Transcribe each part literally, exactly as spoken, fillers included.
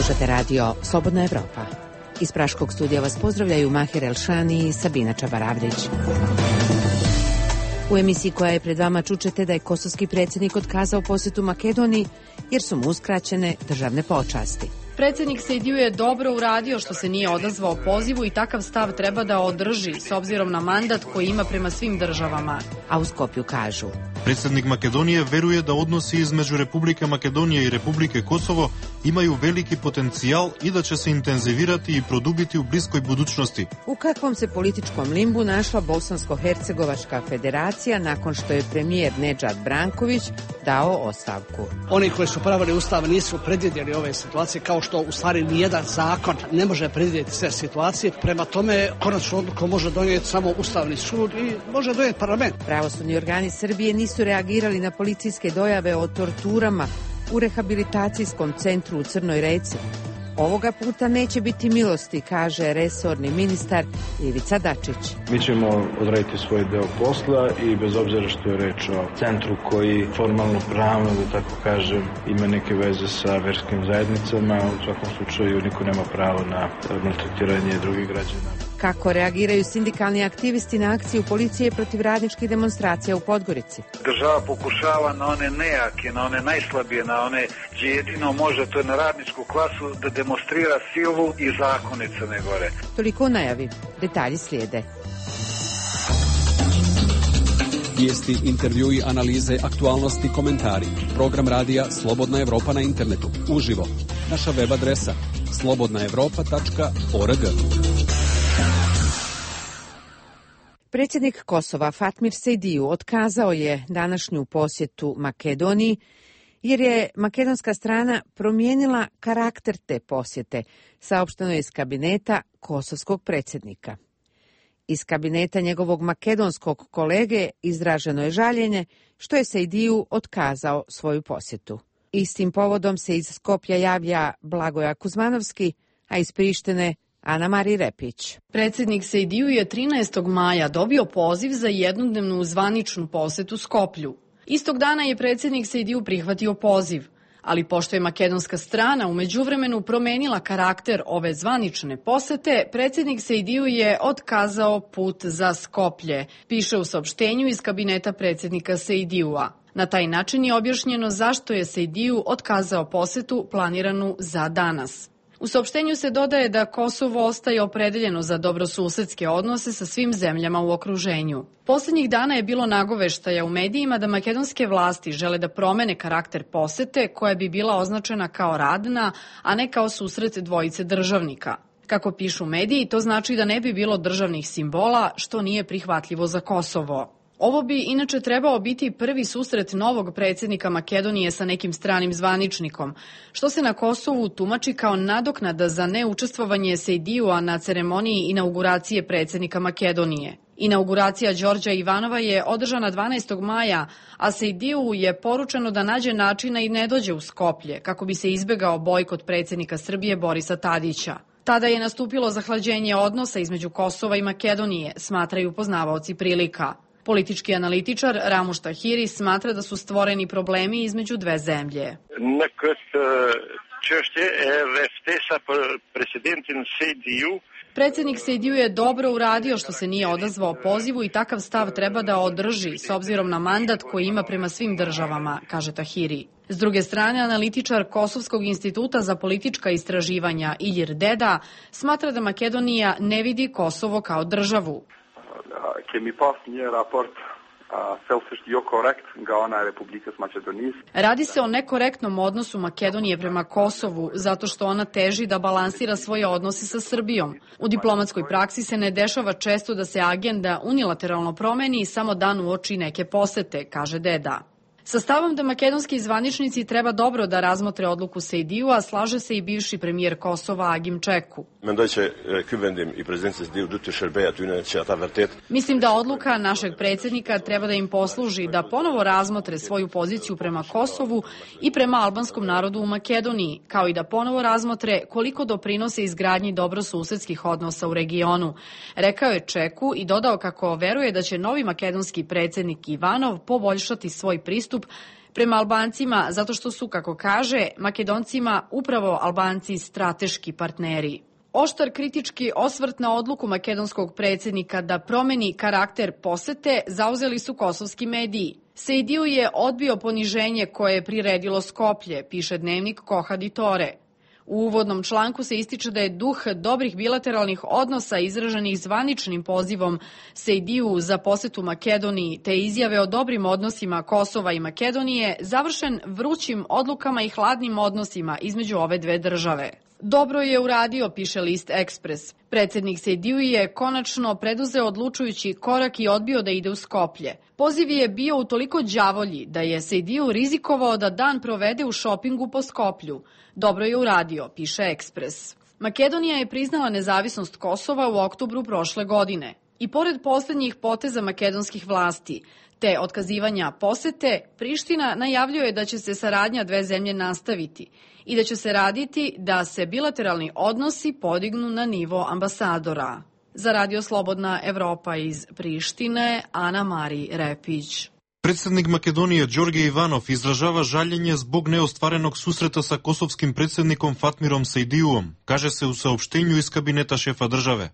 Slušate radio Slobodna Evropa. Iz Praškog studija vas pozdravljaju Mahir Elšani i Sabina Čabaravdić. U emisiji koja je pred vama čućete da je kosovski predsjednik otkazao posjetu Makedoniji jer su mu uskraćene državne počasti. Predsjednik Sejdiju je dobro uradio što se nije odazvao pozivu i takav stav treba da održi s obzirom na mandat koji ima prema svim državama. A u Skopju kažu: Predsjednik Makedonije veruje da odnosi između Republike Makedonije i Republike Kosovo imaju veliki potencijal i da će se intenzivirati i produbiti u bliskoj budućnosti. U kakvom se političkom limbu našla Bosansko-Hercegovačka federacija nakon što je premijer Nedžad Branković dao ostavku? Oni koji su pravili ustav nisu predvidjeli ove situacije, kao što u stvari nijedan zakon ne može predvidjeti sve situacije. Prema tome, konačnu odluku može donijeti samo Ustavni sud i može donijeti parlament. Pravosudni organi Srbije nisu reagirali na policijske dojave o torturama u rehabilitacijskom centru u Crnoj Reci. Ovoga puta neće biti milosti, kaže resorni ministar Ivica Dačić. Mi ćemo odraditi svoj deo posla i bez obzira što je reč o centru koji formalno pravno, da tako kažem, ima neke veze sa verskim zajednicama, u svakom slučaju niko nema pravo na maltretiranje drugih građana. Kako reagiraju sindikalni aktivisti na akciju policije protiv radničkih demonstracija u Podgorici? Država pokušava na one nejake, na one najslabije, na one gdje jedino može, to je na radničku klasu, da demonstrira silu i zakone Crne Gore. Toliko u najavi. Detalji slijede. Vijesti, intervjui, analize, aktualnosti, komentari. Program radija Slobodna Evropa na internetu. Uživo. Naša web adresa slobodna evropa tačka org. Predsjednik Kosova Fatmir Sejdiju otkazao je današnju posjetu Makedoniji jer je makedonska strana promijenila karakter te posjete, saopšteno je iz kabineta kosovskog predsjednika. Iz kabineta njegovog makedonskog kolege izraženo je žaljenje što je Sejdiju otkazao svoju posjetu. Istim povodom se iz Skopja javlja Blagoja Kuzmanovski, a iz Prištine Ana Mari Repić. Predsjednik Sejdiju je trinaestog maja dobio poziv za jednodnevnu zvaničnu posetu Skoplju. Istog dana je predsjednik Sejdiju prihvatio poziv, ali pošto je makedonska strana u međuvremenu promenila karakter ove zvanične posete, predsjednik Sejdiju je otkazao put za Skoplje, piše u saopštenju iz kabineta predsjednika Sejdijua. Na taj način je objašnjeno zašto je Sejdiju otkazao posetu planiranu za danas. U saopštenju se dodaje da Kosovo ostaje opredeljeno za dobrosusedske odnose sa svim zemljama u okruženju. Posljednjih dana je bilo nagoveštaja u medijima da makedonske vlasti žele da promene karakter posete koja bi bila označena kao radna, a ne kao susret dvojice državnika. Kako pišu mediji, to znači da ne bi bilo državnih simbola, što nije prihvatljivo za Kosovo. Ovo bi inače trebao biti prvi susret novog predsjednika Makedonije sa nekim stranim zvaničnikom, što se na Kosovu tumači kao nadoknada za neučestvovanje Sejdijua na ceremoniji inauguracije predsjednika Makedonije. Inauguracija Đorđa Ivanova je održana dvanaestog maja, a Sejdiju je poručeno da nađe načina i ne dođe u Skoplje, kako bi se izbegao bojkot predsjednika Srbije Borisa Tadića. Tada je nastupilo zahlađenje odnosa između Kosova i Makedonije, smatraju poznavaoci prilika. Politički analitičar Ramuš Tahiri smatra da su stvoreni problemi između dve zemlje. Predsjednik Sejdiju je dobro uradio što se nije odazvao pozivu i takav stav treba da održi s obzirom na mandat koji ima prema svim državama, kaže Tahiri. S druge strane, analitičar Kosovskog instituta za politička istraživanja Ilir Deda smatra da Makedonija ne vidi Kosovo kao državu. Radi se o nekorektnom odnosu Makedonije prema Kosovu, zato što ona teži da balansira svoje odnose sa Srbijom. U diplomatskoj praksi se ne dešava često da se agenda unilateralno promeni samo dan uoči neke posete, kaže Deda. Sa stavom da makedonski zvaničnici treba dobro da razmotre odluku Sejdijua, slaže se i bivši premijer Kosova Agim Čeku. Mislim da odluka našeg predsjednika treba da im posluži da ponovo razmotre svoju poziciju prema Kosovu i prema albanskom narodu u Makedoniji, kao i da ponovo razmotre koliko doprinose izgradnji dobrosusedskih odnosa u regionu. Rekao je Čeku i dodao kako veruje da će novi makedonski predsjednik Ivanov poboljšati svoj pristup pristup prema Albancima zato što su, kako kaže, Makedoncima upravo Albanci strateški partneri. Oštar kritički osvrt na odluku makedonskog predsjednika da promeni karakter posete zauzeli su kosovski mediji. Sejdiju je odbio poniženje koje je priredilo Skoplje, piše dnevnik Koha Ditore. U uvodnom članku se ističe da je duh dobrih bilateralnih odnosa izraženih zvaničnim pozivom Sejdiju za posetu Makedoniji te izjave o dobrim odnosima Kosova i Makedonije završen vrućim odlukama i hladnim odnosima između ove dve države. Dobro je uradio, piše list Ekspres. Predsjednik Sejdiju je konačno preduzeo odlučujući korak i odbio da ide u Skoplje. Poziv je bio u toliko đavolji da je Sejdiju rizikovao da dan provede u šopingu po Skoplju. Dobro je uradio, piše Ekspres. Makedonija je priznala nezavisnost Kosova u oktobru prošle godine. I pored posljednjih poteza makedonskih vlasti, te otkazivanja posete, Priština najavljuje da će se saradnja dve zemlje nastaviti i da će se raditi da se bilateralni odnosi podignu na nivo ambasadora. Za Radio Slobodna Evropa iz Prištine, Ana Mari Repić. Predsednik Makedonije Đorđe Ivanov izražava žaljenje zbog neostvarenog susreta sa kosovskim predsednikom Fatmirom Sejdijuom, kaže se u saopštenju iz kabineta šefa države.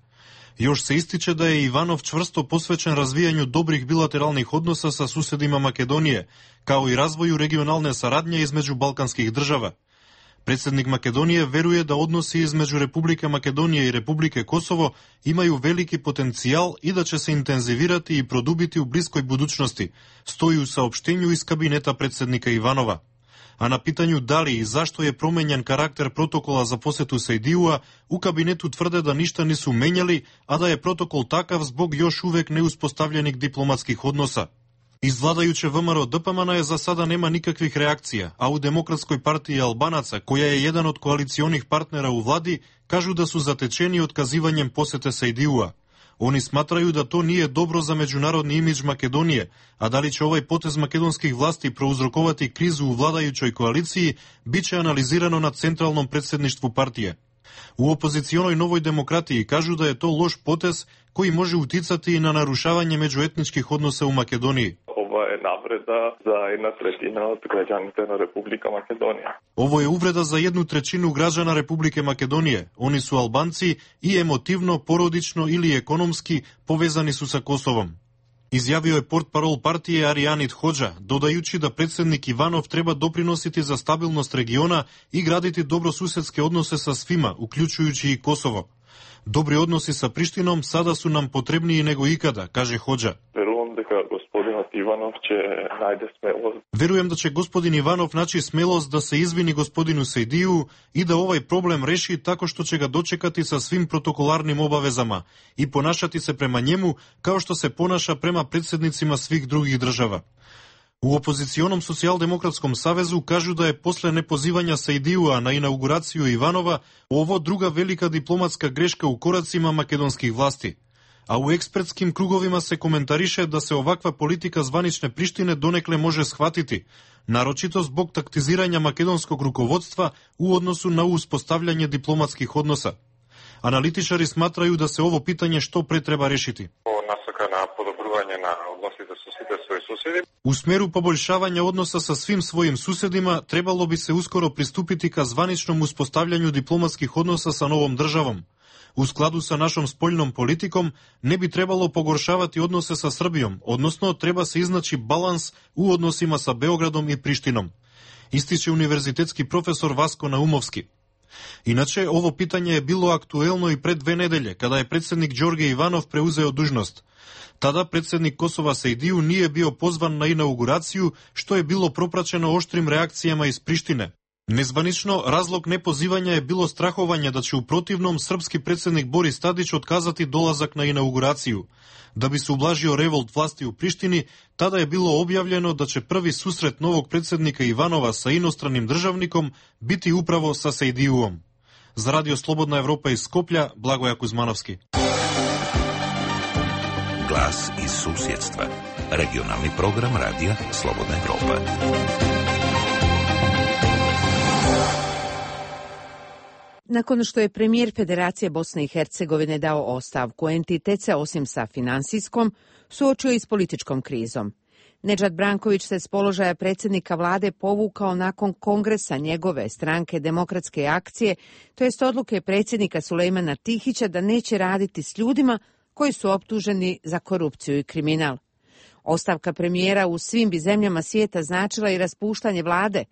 Još se ističe da je Ivanov čvrsto posvećen razvijanju dobrih bilateralnih odnosa sa susedima Makedonije, kao i razvoju regionalne saradnje između balkanskih država. Predsednik Makedonije veruje da odnosi između Republike Makedonije i Republike Kosovo imaju veliki potencijal i da će se intenzivirati i produbiti u bliskoj budućnosti, stoji u saopštenju iz kabineta predsednika Ivanova. A na pitanju da li i zašto je promenjen karakter protokola za posetu Sejdijua, u kabinetu tvrde da ništa nisu menjali, a da je protokol takav zbog još uvek neuspostavljenih diplomatskih odnosa. Iz vladajuće V M R O D P M N je za sada nema nikakvih reakcija, a u Demokratskoj partiji Albanaca, koja je jedan od koalicionih partnera u vladi, kažu da su zatečeni otkazivanjem posete Sejdijua. Oni smatraju da to nije dobro za međunarodni imidž Makedonije, a da li će ovaj potez makedonskih vlasti prouzrokovati krizu u vladajućoj koaliciji, bit će analizirano na centralnom predsedništvu partije. U opozicionoj Novoj demokratiji kažu da je to loš potez koji može uticati i na narušavanje međuetničkih odnosa u Makedoniji. Ovo je navreda za jedna trećina od građana Republika Makedonija. Ovo je uvreda za jednu trećinu građana Republike Makedonije. Oni su Albanci i emotivno, porodično ili ekonomski povezani su sa Kosovom. Izjavio je portparol partije Arijanit Hodža, dodajući da predsednik Ivanov treba doprinositi za stabilnost regiona i graditi dobrosusedske odnose sa svima, uključujući i Kosovo. Dobri odnosi sa Prištinom sada su nam potrebniji nego ikada, kaže Hodža. Ivanov će najde smelost. Verujem da će gospodin Ivanov naći smelost da se izvini gospodinu Sejdiju i da ovaj problem reši tako što će ga dočekati sa svim protokolarnim obavezama i ponašati se prema njemu kao što se ponaša prema predsednicima svih drugih država. U opozicionom socijaldemokratskom savezu kažu da je posle nepozivanja Sejdijua na inauguraciju Ivanova ovo druga velika diplomatska greška u koracima makedonskih vlasti. A u ekspertskim krugovima se komentariše da se ovakva politika zvanične Prištine donekle može shvatiti, naročito zbog taktiziranja makedonskog rukovodstva u odnosu na uspostavljanje diplomatskih odnosa. Analitičari smatraju da se ovo pitanje što pre treba rešiti. U smeru poboljšavanja odnosa sa svim svojim susedima trebalo bi se uskoro pristupiti ka zvaničnom uspostavljanju diplomatskih odnosa sa novom državom. U skladu sa našom spoljnom politikom ne bi trebalo pogoršavati odnose sa Srbijom, odnosno treba se iznaći balans u odnosima sa Beogradom i Prištinom, ističe univerzitetski profesor Vasko Naumovski. Inače, ovo pitanje je bilo aktuelno i pred dve nedelje, kada je predsednik Đorđe Ivanov preuzeo dužnost. Tada predsednik Kosova Sejdiju nije bio pozvan na inauguraciju, što je bilo propraćeno oštrim reakcijama iz Prištine. Nezvanično, razlog nepozivanja je bilo strahovanje da će u protivnom srpski predsednik Boris Tadić otkazati dolazak na inauguraciju. Da bi se ublažio revolt vlasti u Prištini, tada je bilo objavljeno da će prvi susret novog predsednika Ivanova sa inostranim državnikom biti upravo sa Sejdijuom. Za Radio Slobodna Evropa iz Skoplja, Blagoja Kuzmanovski. Glas iz susjedstva. Regionalni program Radija Slobodna Evropa. Nakon što je premijer Federacije Bosne i Hercegovine dao ostavku, entitet se osim sa finansijskom suočio i s političkom krizom. Nedžad Branković se s položaja predsjednika vlade povukao nakon kongresa njegove stranke Demokratske akcije, to jest odluke predsjednika Sulejmana Tihića da neće raditi s ljudima koji su optuženi za korupciju i kriminal. Ostavka premijera u svim bi zemljama svijeta značila i raspuštanje vlade,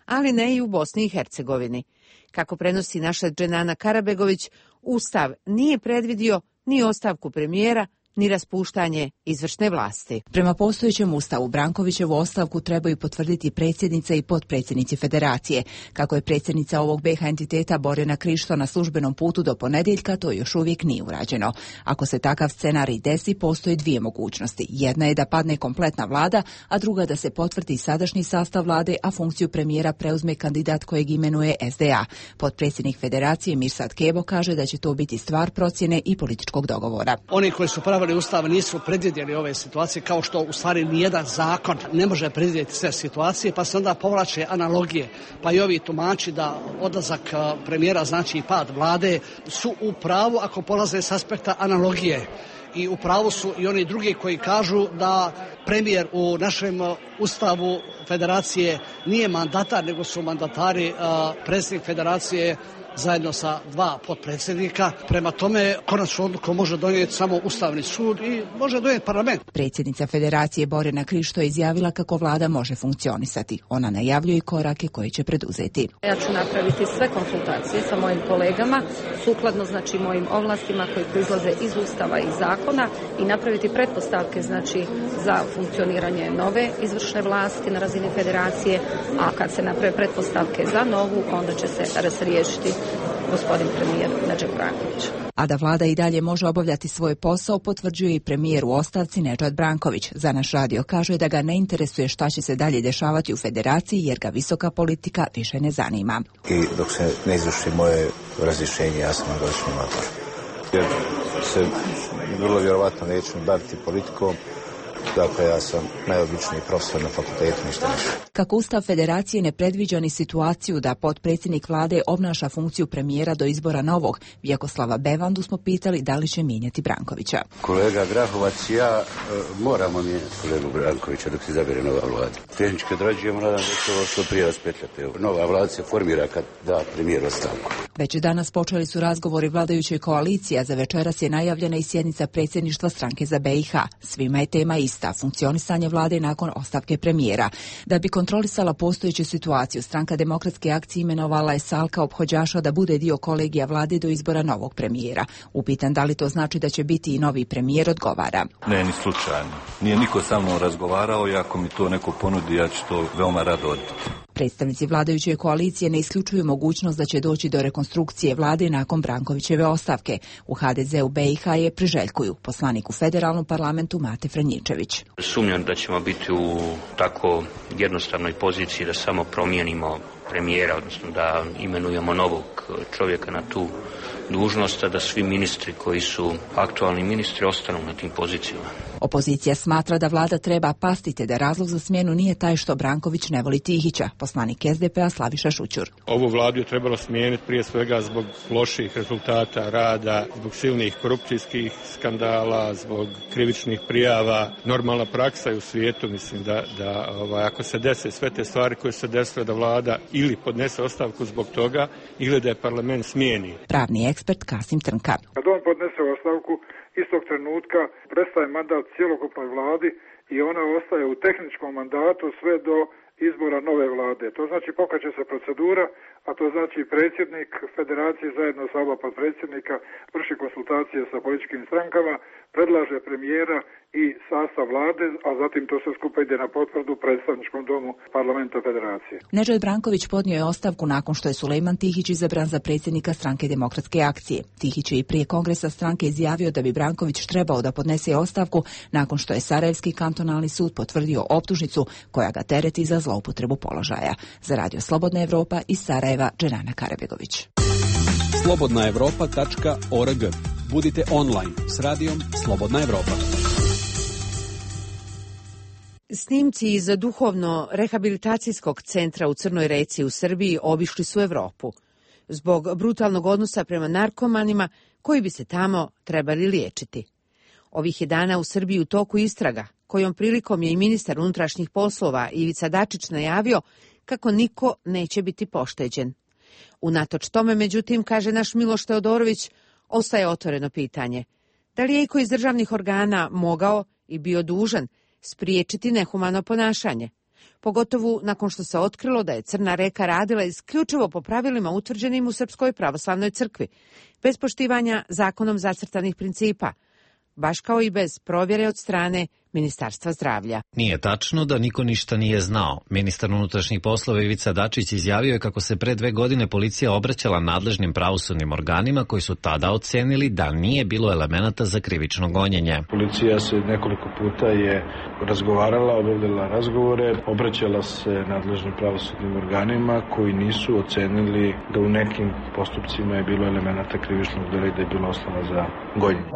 ali ne i u Bosni i Hercegovini. Kako prenosi naša Dženana Karabegović, Ustav nije predvidio ni ostavku premijera, ni raspuštanje izvršne vlasti. Prema postojećem ustavu Brankovićevu ostavku trebaju potvrditi predsjednica i potpredsjednici federacije. Kako je predsjednica ovog B iH entiteta Borjana Krišto na službenom putu do ponedjeljka, to još uvijek nije urađeno. Ako se takav scenarij desi, postoje dvije mogućnosti. Jedna je da padne kompletna vlada, a druga da se potvrdi sadašnji sastav vlade, a funkciju premijera preuzme kandidat kojeg imenuje S D A. Potpredsjednik federacije Mirsad Kebo kaže da će to biti stvar procjene i političkog dogovora. Oni koji su pravili Ustav nisu predvidjeli ove situacije, kao što u stvari nijedan zakon ne može predvidjeti sve situacije, pa se onda povlače analogije. Pa i ovi tumači da odlazak premijera znači i pad vlade su u pravu ako polaze s aspekta analogije. I u pravu su i oni drugi koji kažu da premijer u našem Ustavu federacije nije mandatar, nego su mandatari predsjednik federacije zajedno sa dva potpredsjednika. Prema tome, konačnu odluku može donijeti samo Ustavni sud i može donijeti parlament. Predsjednica federacije Borjana Krišto je izjavila kako vlada može funkcionisati. Ona najavljuje korake koje će preduzeti. Ja ću napraviti sve konsultacije sa mojim kolegama, sukladno znači mojim ovlastima koji proizlaze iz Ustava i zakona i napraviti pretpostavke znači za funkcioniranje nove izvršne vlasti na razini federacije, a kad se naprave pretpostavke za novu, onda će se razriješiti gospodin premijer Nedžad Branković. A da vlada i dalje može obavljati svoj posao, potvrđuje i premijer u ostavci Nedžad Branković. Za naš radio kaže da ga ne interesuje šta će se dalje dešavati u federaciji, jer ga visoka politika više ne zanima. I dok se ne izvrši moje razrješenje, ja sam na godišnjem odmoru. Jer se vrlo vjerovatno neću baviti politikom. Dakle, ja sam najobičniji profesor na fakultetu, ništa više. Kako Ustav federacije ne predviđa ni situaciju da potpredsjednik vlade obnaša funkciju premijera do izbora novog, Vjekoslava Bevandu smo pitali da li će mijenjati Brankovića. Kolega Grahovac i ja e, moramo mijenjati kolegu Brankovića dok se izabere nova vlada. Tehnički odrađujemo, nadam da će ovo što prije raspetljati. Nova vlada se formira kad da premijer ostavku. Već danas počeli su razgovori vladajućoj koaliciji, a za večeras je najavljena i sjednica predsjedništva stranke za B iH. Svima je tema ista, funkcionisanje vlade nakon ostavke premijera. Da bi kontrolisala postojeću situaciju, stranka Demokratske akcije imenovala je Salka Ophođaša da bude dio kolegija vlade do izbora novog premijera. Upitan da li to znači da će biti i novi premijer, odgovara. Ne, ni slučajno. Nije niko sa mnom razgovarao i ako mi to neko ponudi, ja ću to veoma rado odbiti. Predstavnici vladajuće koalicije ne isključuju mogućnost da će doći do rekonstrukcije vlade nakon Brankovićeve ostavke. U H D Z-u B iH je priželjkuju, poslanik u federalnom parlamentu Mate Franjičević. Sumnjam da ćemo biti u tako jednostavnoj poziciji da samo promijenimo premijera, odnosno da imenujemo novog čovjeka na tu dužnost, a da svi ministri koji su aktualni ministri ostanu na tim pozicijama. Opozicija smatra da vlada treba pastiti, da razlog za smjenu nije taj što Branković ne voli Tihića. Poslanik S D P-a Slaviša Šućur. Ovu vladu je trebalo smijeniti prije svega zbog loših rezultata rada, zbog silnih korupcijskih skandala, zbog krivičnih prijava. Normalna praksa je u svijetu, mislim da, da ovaj, ako se dese sve te stvari koje se desile, da vlada ili podnese ostavku zbog toga ili da je parlament smijeni. Pravni ekspert Kasim Trnka. Kad on podnese ostavku, istog trenutka prestaje mandat cjelokupnoj vladi i ona ostaje u tehničkom mandatu sve do izbora nove vlade. To znači pokreće se procedura, a to znači predsjednik federacije zajedno sa oba potpredsjednika vrši konsultacije sa političkim strankama, predlaže premijera i sastav vlade, a zatim to sve skupa ide na potvrdu predstavničkom domu parlamenta federacije. Nedžad Branković podnio je ostavku nakon što je Sulejman Tihić izabran za predsjednika stranke Demokratske akcije. Tihić je i prije kongresa stranke izjavio da bi Branković trebao da podnese ostavku nakon što je Sarajevski kantonalni sud potvrdio optužnicu koja ga tereti za zloupotrebu položaja. Za Radio Slobodna Evropa iz Sarajeva, Dženana Karabegović. slobodna evropa tačka org. Budite online s radijom Slobodna Evropa. Snimci iz duhovno-rehabilitacijskog centra u Crnoj Reci u Srbiji obišli su Evropu zbog brutalnog odnosa prema narkomanima koji bi se tamo trebali liječiti. Ovih je dana u Srbiji u toku istraga kojom prilikom je i ministar unutrašnjih poslova Ivica Dačić najavio kako niko neće biti pošteđen. Unatoč tome, međutim, kaže naš Miloš Teodorović, ostaje otvoreno pitanje. Da li je iko iz državnih organa mogao i bio dužan spriječiti nehumano ponašanje? Pogotovo nakon što se otkrilo da je Crna reka radila isključivo po pravilima utvrđenim u Srpskoj pravoslavnoj crkvi, bez poštivanja zakonom zacrtanih principa, baš kao i bez provjere od strane Ministarstva zdravlja. Nije tačno da niko ništa nije znao. Ministar unutrašnjih poslova Ivica Dačić izjavio je kako se pre dve godine policija obraćala nadležnim pravosudnim organima koji su tada ocenili da nije bilo elemenata za krivično gonjenje. Policija se nekoliko puta je razgovarala, obavljala razgovore, obraćala se nadležnim pravosudnim organima koji nisu ocenili da u nekim postupcima je bilo elemenata krivičnog dela i da je bilo osnova za gonjenje.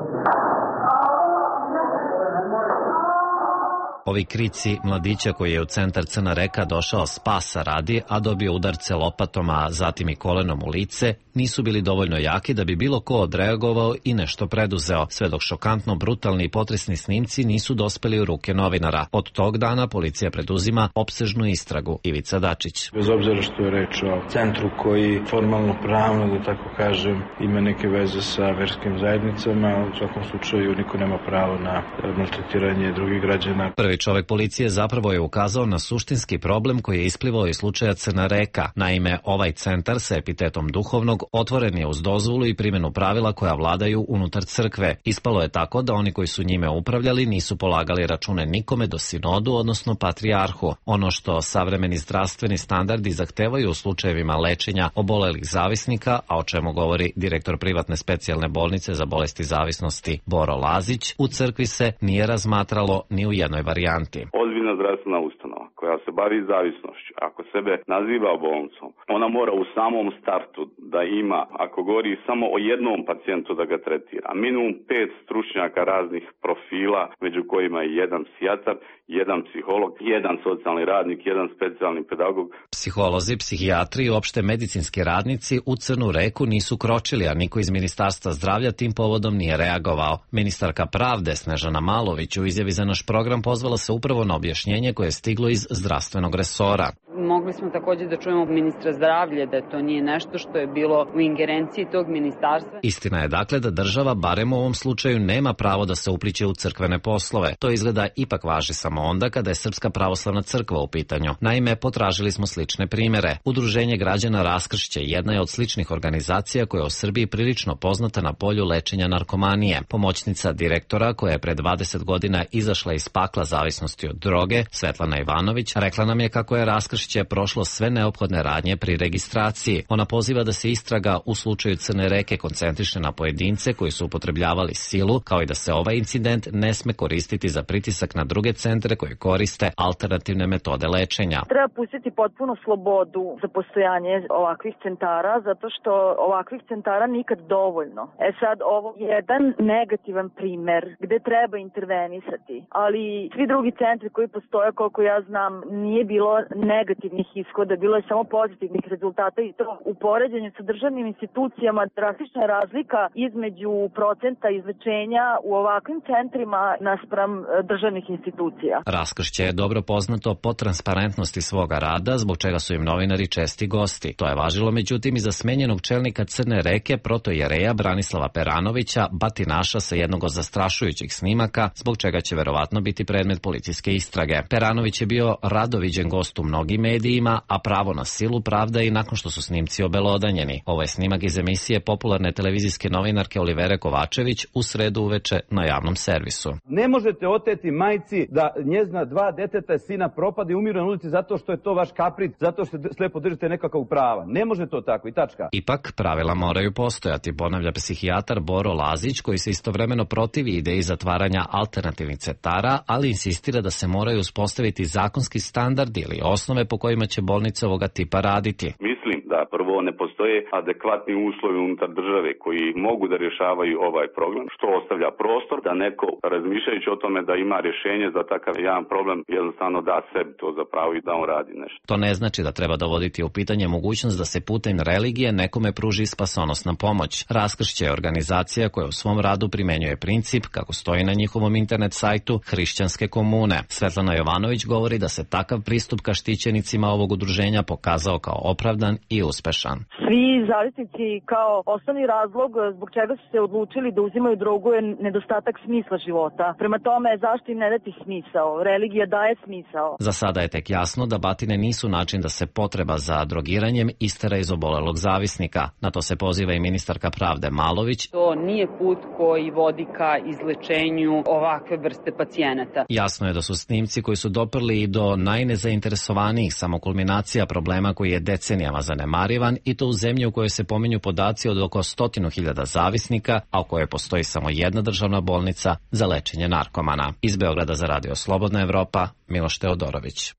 Ovi krici mladića koji je u centar Crna Reka došao spasa radi, a dobio udarce lopatom, a zatim i kolenom u lice, nisu bili dovoljno jaki da bi bilo ko odreagovao i nešto preduzeo, sve dok šokantno brutalni i potresni snimci nisu dospeli u ruke novinara. Od tog dana policija preduzima opsežnu istragu. Ivica Dačić. Bez obzira što je reč o centru koji formalno pravno, da tako kažem, ima neke veze sa verskim zajednicama, u svakom slučaju niko nema pravo na maltretiranje drugih građana. Prvi čovek policije zapravo je ukazao na suštinski problem koji je isplivao iz slučaja Crna Reka. Naime, ovaj centar sa epitetom duhovnog otvoren je uz dozvolu i primjenu pravila koja vladaju unutar crkve. Ispalo je tako da oni koji su njime upravljali nisu polagali račune nikome do sinodu, odnosno patrijarhu. Ono što savremeni zdravstveni standardi zahtevaju u slučajevima lečenja obolelih zavisnika, a o čemu govori direktor privatne specijalne bolnice za bolesti zavisnosti Boro Lazić, u crkvi se nije razmatralo ni u jednoj varijanti. Ozbiljna zdravstvena ustanova koja se bavi zavisnošću, ako sebe naziva bolnicom, ona mora u samom startu da ima, ako govori samo o jednom pacijentu, da ga tretira. Minimum pet stručnjaka raznih profila, među kojima je jedan psihijatar, jedan psiholog, jedan socijalni radnik, jedan specijalni pedagog. Psiholozi, psihijatri i opšte medicinski radnici u Crnu Reku nisu kročili, a niko iz Ministarstva zdravlja tim povodom nije reagovao. Ministarka pravde Snežana Malović u izjavi za naš program pozvala se upravo na objašnjenje koje je stiglo iz zdravstvenog resora. Mogli smo također da čujemo ministra zdravlja da to nije nešto što je bilo u ingerenciji tog ministarstva. Istina je dakle da država, barem u ovom slučaju, nema pravo da se upliće u crkvene poslove. To izgleda ipak važi samo onda kada je Srpska pravoslavna crkva u pitanju. Naime, potražili smo slične primere. Udruženje građana Raskršće jedna je od sličnih organizacija koja je u Srbiji prilično poznata na polju lečenja narkomanije. Pomoćnica direktora koja je pre dvadeset godina izašla iz pakla zavisnosti od droge, Svetlana Ivanović, rekla nam je kako je Raskršće prošlo sve neophodne radnje pri registraciji. Ona poziva da se istraga u slučaju Crne Reke koncentriše na pojedince koji su upotrebljavali silu, kao i da se ovaj incident ne sme koristiti za pritisak na druge centre koji koriste alternativne metode lečenja. Treba pustiti potpuno slobodu za postojanje ovakvih centara, zato što ovakvih centara nikad dovoljno. E sad, ovo je jedan negativan primer gde treba intervenisati, ali svi drugi centri koji postoje, koliko ja znam, nije bilo negativnih ishoda, bilo je samo pozitivnih rezultata i to u poređenju sa državnim institucijama drastična je razlika između procenta izlečenja u ovakvim centrima naspram državnih institucija. Raskršće je dobro poznato po transparentnosti svoga rada, zbog čega su im novinari česti gosti. To je važilo međutim i za smenjenog čelnika Crne Reke, protojereja Branislava Peranovića, batinaša sa jednog od zastrašujućih snimaka, zbog čega će verovatno biti predmet policijske istrage. Peranović je bio rado viđen gost u mnogim medijima, a pravo na silu pravda i nakon što su snimci obelodanjeni. Ovo je snimak iz emisije popularne televizijske novinarke Olivere Kovačević u sredu uveče na javnom servisu. Ne možete oteti majci da njezna dva deteta i sina propade i umiru na ulici zato što je to vaš kapric, zato što slepo držite nekakav prava. Ne može to tako i tačka. Ipak pravila moraju postojati, ponavlja psihijatar Boro Lazić, koji se istovremeno protivi ideji zatvaranja alternativnih centara, ali insistira da se moraju uspostaviti zakonski standardi ili osnove po kojima će bolnice ovoga tipa raditi. Mislim da prvo ne postoje adekvatni uslovi unutar države koji mogu da rješavaju ovaj problem, što ostavlja prostor da neko razmišljajući o tome da ima rješenje za takav jedan problem jednostavno da sebi to za pravo i da on radi nešto. To ne znači da treba dovoditi u pitanje mogućnost da se putem religije nekome pruži spasonosna pomoć. Raskršće je organizacija koja u svom radu primenjuje princip, kako stoji na njihovom internet sajtu, hrišćanske komune. Svetlana Jovanović govori da se takav pristup ka štićenicima ovog udruženja pokazao kao opravdan i uspešan. Svi zavisnici kao osnovni razlog zbog čega su se odlučili da uzimaju drogu je nedostatak smisla života. Prema tome, zašto im ne dati smisao? Religija daje smisao. Za sada je tek jasno da batine nisu način da se potreba za drogiranjem istera iz obolelog zavisnika. Na to se poziva i ministarka pravde Malović. To nije put koji vodi ka izlečenju ovakve vrste pacijenata. Jasno je da su snimci koji su doprli i do najnezainteresovanijih samo kulminacija problema koji je decenijama zanemarivan i to u zemlji u kojoj se pominju podaci od oko stotinu hiljada zavisnika, a u kojoj postoji samo jedna državna bolnica za lečenje narkomana. Iz Beograda za Radio Slobodna Evropa, Miloš Teodorović.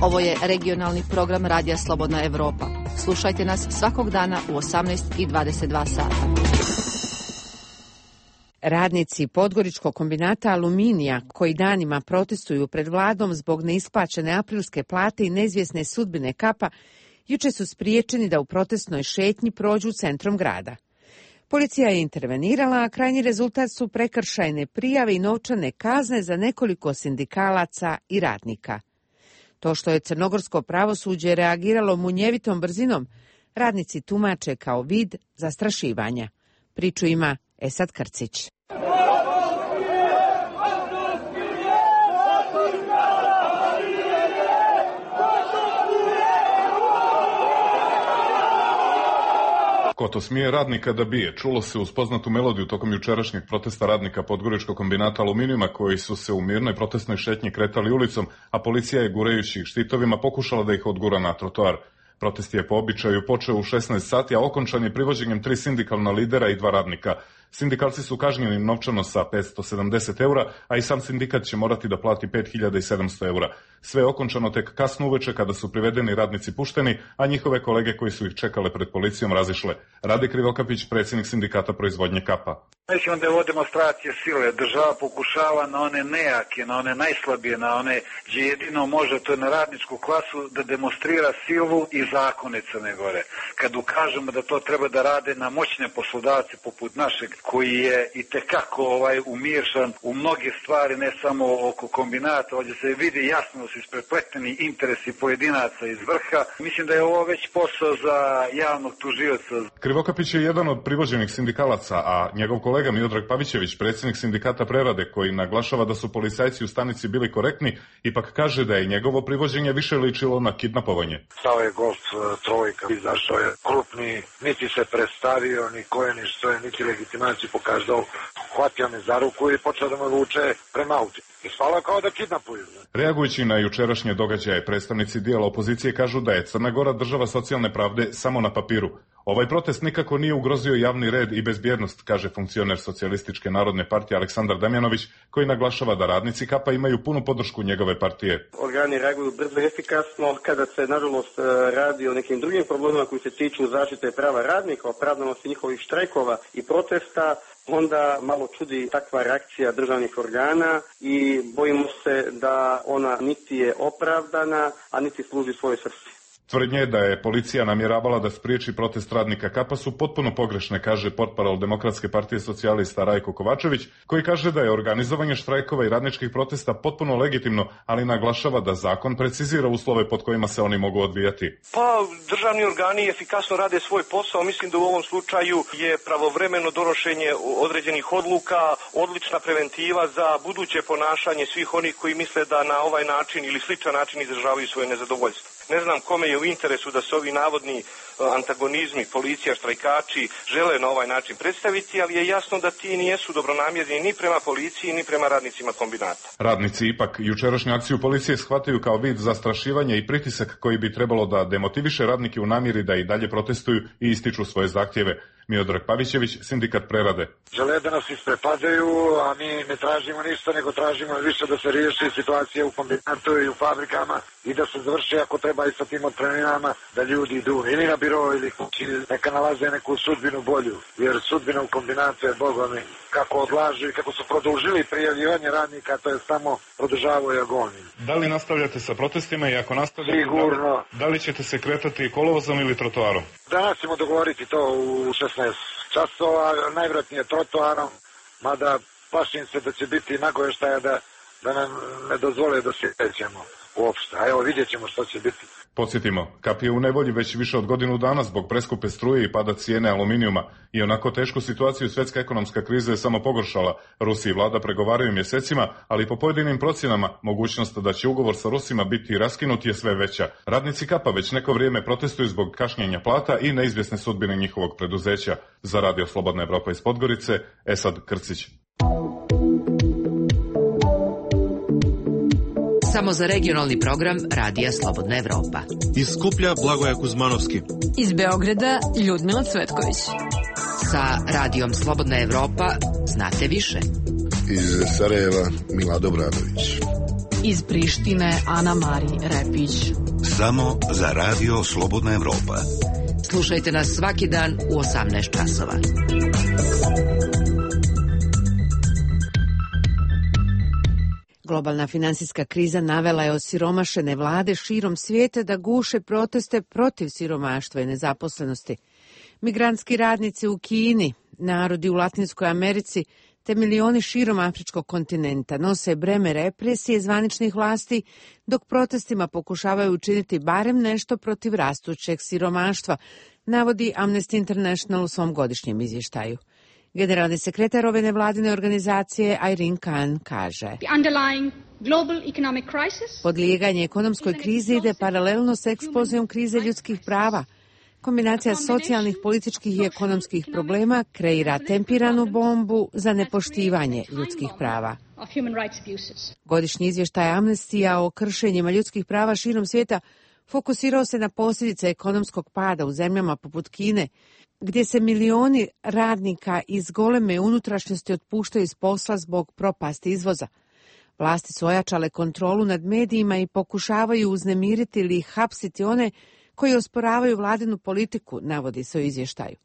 Ovo je regionalni program Radija Slobodna Evropa. Slušajte nas svakog dana u osamnaest i dvadeset dva sata. Radnici Podgoričkog kombinata aluminija, koji danima protestuju pred vladom zbog neisplaćene aprilske plate i neizvjesne sudbine Kapa, juče su spriječeni da u protestnoj šetnji prođu centrom grada. Policija je intervenirala, a krajnji rezultat su prekršajne prijave i novčane kazne za nekoliko sindikalaca i radnika. To što je crnogorsko pravosuđe reagiralo munjevitom brzinom, radnici tumače kao vid zastrašivanja. Priču ima Esad Krcić. Ko to smije radnika da bije? Čulo se uz poznatu melodiju tokom jučerašnjeg protesta radnika Podgoričkog kombinata aluminijuma koji su se u mirnoj protestnoj šetnji kretali ulicom, a policija je gurajući ih štitovima pokušala da ih odgura na trotoar. Protest je po običaju počeo u šesnaest sati, a okončan je privođenjem tri sindikalna lidera i dva radnika. Sindikalci su kažnjeni novčano sa petsto sedamdeset eura, a i sam sindikat će morati da plati pet hiljada sedamsto eura. Sve je okončano tek kasno uveče kada su privedeni radnici pušteni, a njihove kolege koji su ih čekale pred policijom razišle. Rade Krivokapić, predsjednik sindikata proizvodnje Kapa. Nećemo da je ovo demonstracije sile. Država pokušava na one nejake, na one najslabije, na one gdje jedino može, to je na radničku klasu, da demonstrira silu i zakone Crne Gore. Kad ukažemo da to treba da rade na moćne poslodavce poput našeg, koji je i tekako ovaj, umiršan u mnoge stvari, ne samo oko kombinata, ovdje se vidi jasno da su isprepleteni interesi pojedinaca iz vrha. Mislim da je ovo već posao za javnog tužioca. Krivokapić je jedan od privođenih sindikalaca, a njegov kolega Miodrag Pavićević, predsjednik sindikata prerade, koji naglašava da su policajci u stanici bili korektni, ipak kaže da je njegovo privođenje više ličilo na kidnapovanje. Stao je golf trojka, izašao je krupni, niti se predstavio, ni ko je, ni što je, niti legitimaciju pokazao, hvatio me za ruku i počeo da me vuče prema auti. Ispalo kao da kidnapuju. Reagujući na jučerašnje događaje, predstavnici dijela opozicije kažu da je Crna Gora država socijalne pravde samo na papiru. Ovaj protest nikako nije ugrozio javni red i bezbjednost, kaže funkcioner Socijalističke narodne partije Aleksandar Damjanović, koji naglašava da radnici Kapa imaju punu podršku njegove partije. Organi reaguju brzo i efikasno kada se, nažalost, radi o nekim drugim problemima koji se tiču zaštite prava radnika, opravdanosti njihovih štrajkova i protesta, onda malo čudi takva reakcija državnih organa i bojimo se da ona niti je opravdana, a niti služi svojoj svrsi. Tvrdnje da je policija namjeravala da spriječi protest radnika Kapa su potpuno pogrešne, kaže portparol Demokratske partije socijalista Rajko Kovačević, koji kaže da je organizovanje štrajkova i radničkih protesta potpuno legitimno, ali naglašava da zakon precizira uslove pod kojima se oni mogu odvijati. Pa državni organi efikasno rade svoj posao, mislim da u ovom slučaju je pravovremeno donošenje određenih odluka, odlična preventiva za buduće ponašanje svih onih koji misle da na ovaj način ili sličan način izražavaju svoje nezadovoljstvo. Ne znam kome je u interesu da se ovi navodni antagonizmi, policija, štrajkači žele na ovaj način predstaviti, ali je jasno da ti nijesu dobronamjerni ni prema policiji, ni prema radnicima kombinata. Radnici ipak jučerašnju akciju policije shvataju kao vid zastrašivanja i pritisak koji bi trebalo da demotiviše radnike u namjeri da i dalje protestuju i ističu svoje zahtjeve. Miodrag Pavićević, sindikat prerade. Žele da nas isprepadaju, a mi ne tražimo ništa, nego tražimo više da se riješi situacija u kombinatu i u fabrikama i da se završi ako treba i sa tim otpremninama, da ljudi idu ili na biro ili kući, neka nalaze neku sudbinu bolju, jer sudbina u kombinatu je bogami kako odlažu i kako su produžili prijavljivanje radnika, to je samo produžavaju agoniju. Da li nastavljate sa protestima i ako nastavljate, sigurno. Da li, da li ćete se kretati kolovozom ili trotoarom? Danas ćemo dogovoriti to u šesnaest časova, najvjerojatnije trotoarom, mada plašim se da će biti nagovještaja da, da nam ne dozvole da se krećemo uopšte. A evo vidjet ćemo što će biti. Podsjetimo, Kap je u nevolji već više od godinu dana zbog preskupe struje i pada cijene aluminijuma i onako tešku situaciju svjetska ekonomska kriza je samo pogoršala. Rusi i vlada pregovaraju mjesecima, ali po pojedinim procjenama mogućnost da će ugovor sa Rusima biti raskinut je sve veća. Radnici Kapa već neko vrijeme protestuju zbog kašnjenja plata i neizvjesne sudbine njihovog preduzeća. Za Radio Slobodna Evropa iz Podgorice, Esad Krcić. Samo za regionalni program Radija Slobodna Evropa. Iz Skuplja Blagoja Kuzmanovski. Iz Beograda Ljudmila Cvetković. Sa Radijom Slobodna Evropa znate više. Iz Sarajeva Mila Dobradović. Iz Prištine Ana Mari Repić. Samo za Radio Slobodna Evropa. Slušajte nas svaki dan u osamnaest časova. Globalna finansijska kriza navela je osiromašene vlade širom svijeta da guše proteste protiv siromaštva i nezaposlenosti. Migrantski radnici u Kini, narodi u Latinskoj Americi te milioni širom afričkog kontinenta nose breme represije zvaničnih vlasti, dok protestima pokušavaju učiniti barem nešto protiv rastućeg siromaštva, navodi Amnesty International u svom godišnjem izvještaju. Generalni sekretar ove nevladine organizacije Irene Khan kaže: podlijeganje ekonomskoj krizi ide paralelno s eksplozijom krize ljudskih prava. Kombinacija socijalnih, političkih i ekonomskih problema kreira tempiranu bombu za nepoštivanje ljudskih prava. Godišnji izvještaj Amnestija o kršenjima ljudskih prava širom svijeta fokusirao se na posljedice ekonomskog pada u zemljama poput Kine, gdje se milioni radnika iz goleme unutrašnjosti otpuštaju iz posla zbog propasti izvoza. Vlasti su ojačale kontrolu nad medijima i pokušavaju uznemiriti ili hapsiti one koji osporavaju vladinu politiku, navodi se u izvještaju.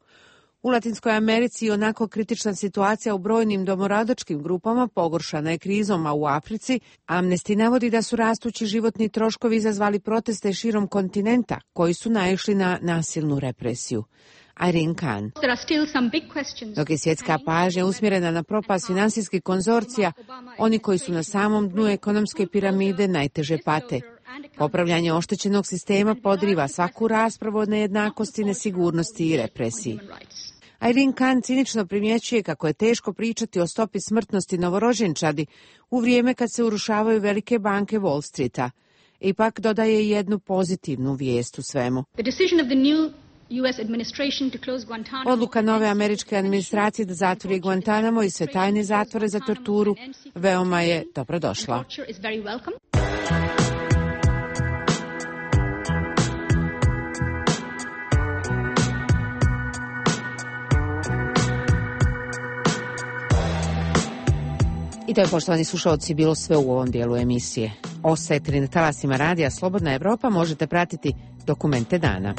U Latinskoj Americi onako kritična situacija u brojnim domoradočkim grupama pogoršana je krizom, a u Africi Amnesty navodi da su rastući životni troškovi izazvali proteste širom kontinenta koji su naišli na nasilnu represiju. Irene Khan. Dok je svjetska pažnja usmjerena na propast finansijskih konzorcija, oni koji su na samom dnu ekonomske piramide najteže pate. Popravljanje oštećenog sistema podriva svaku raspravu o nejednakosti, nesigurnosti i represiji. Irene Khan cinično primjećuje kako je teško pričati o stopi smrtnosti novorođenčadi u vrijeme kad se urušavaju velike banke Wall Streeta. Ipak dodaje jednu pozitivnu vijest u svemu. Odluka nove američke administracije da zatvori Guantanamo i sve tajne zatvore za torturu veoma je dobrodošla. I to je, poštovani slušalci, bilo sve u ovom dijelu emisije. Ostajete li na talasima Radija Slobodna Evropa, možete pratiti dokumente dana.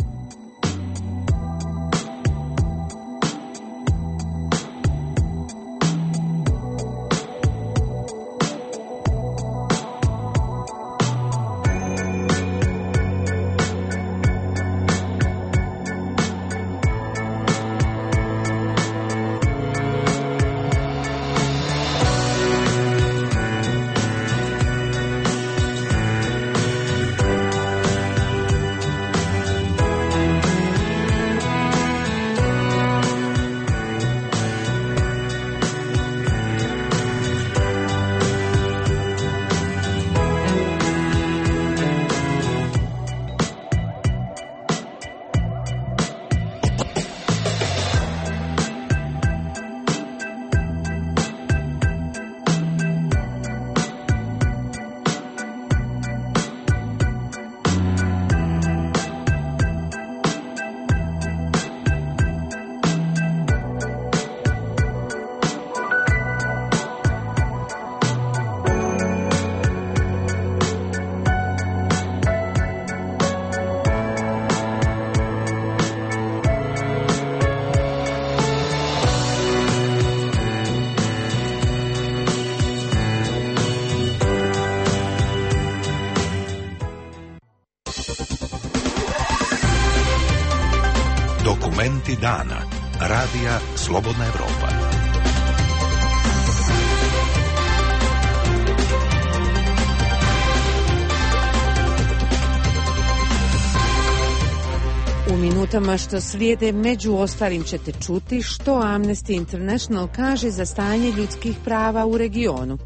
Dokumenti dana. Radija Slobodna Evropa. U minutama što slijede među ostalim ćete čuti što Amnesty International kaže za stanje ljudskih prava u regionu.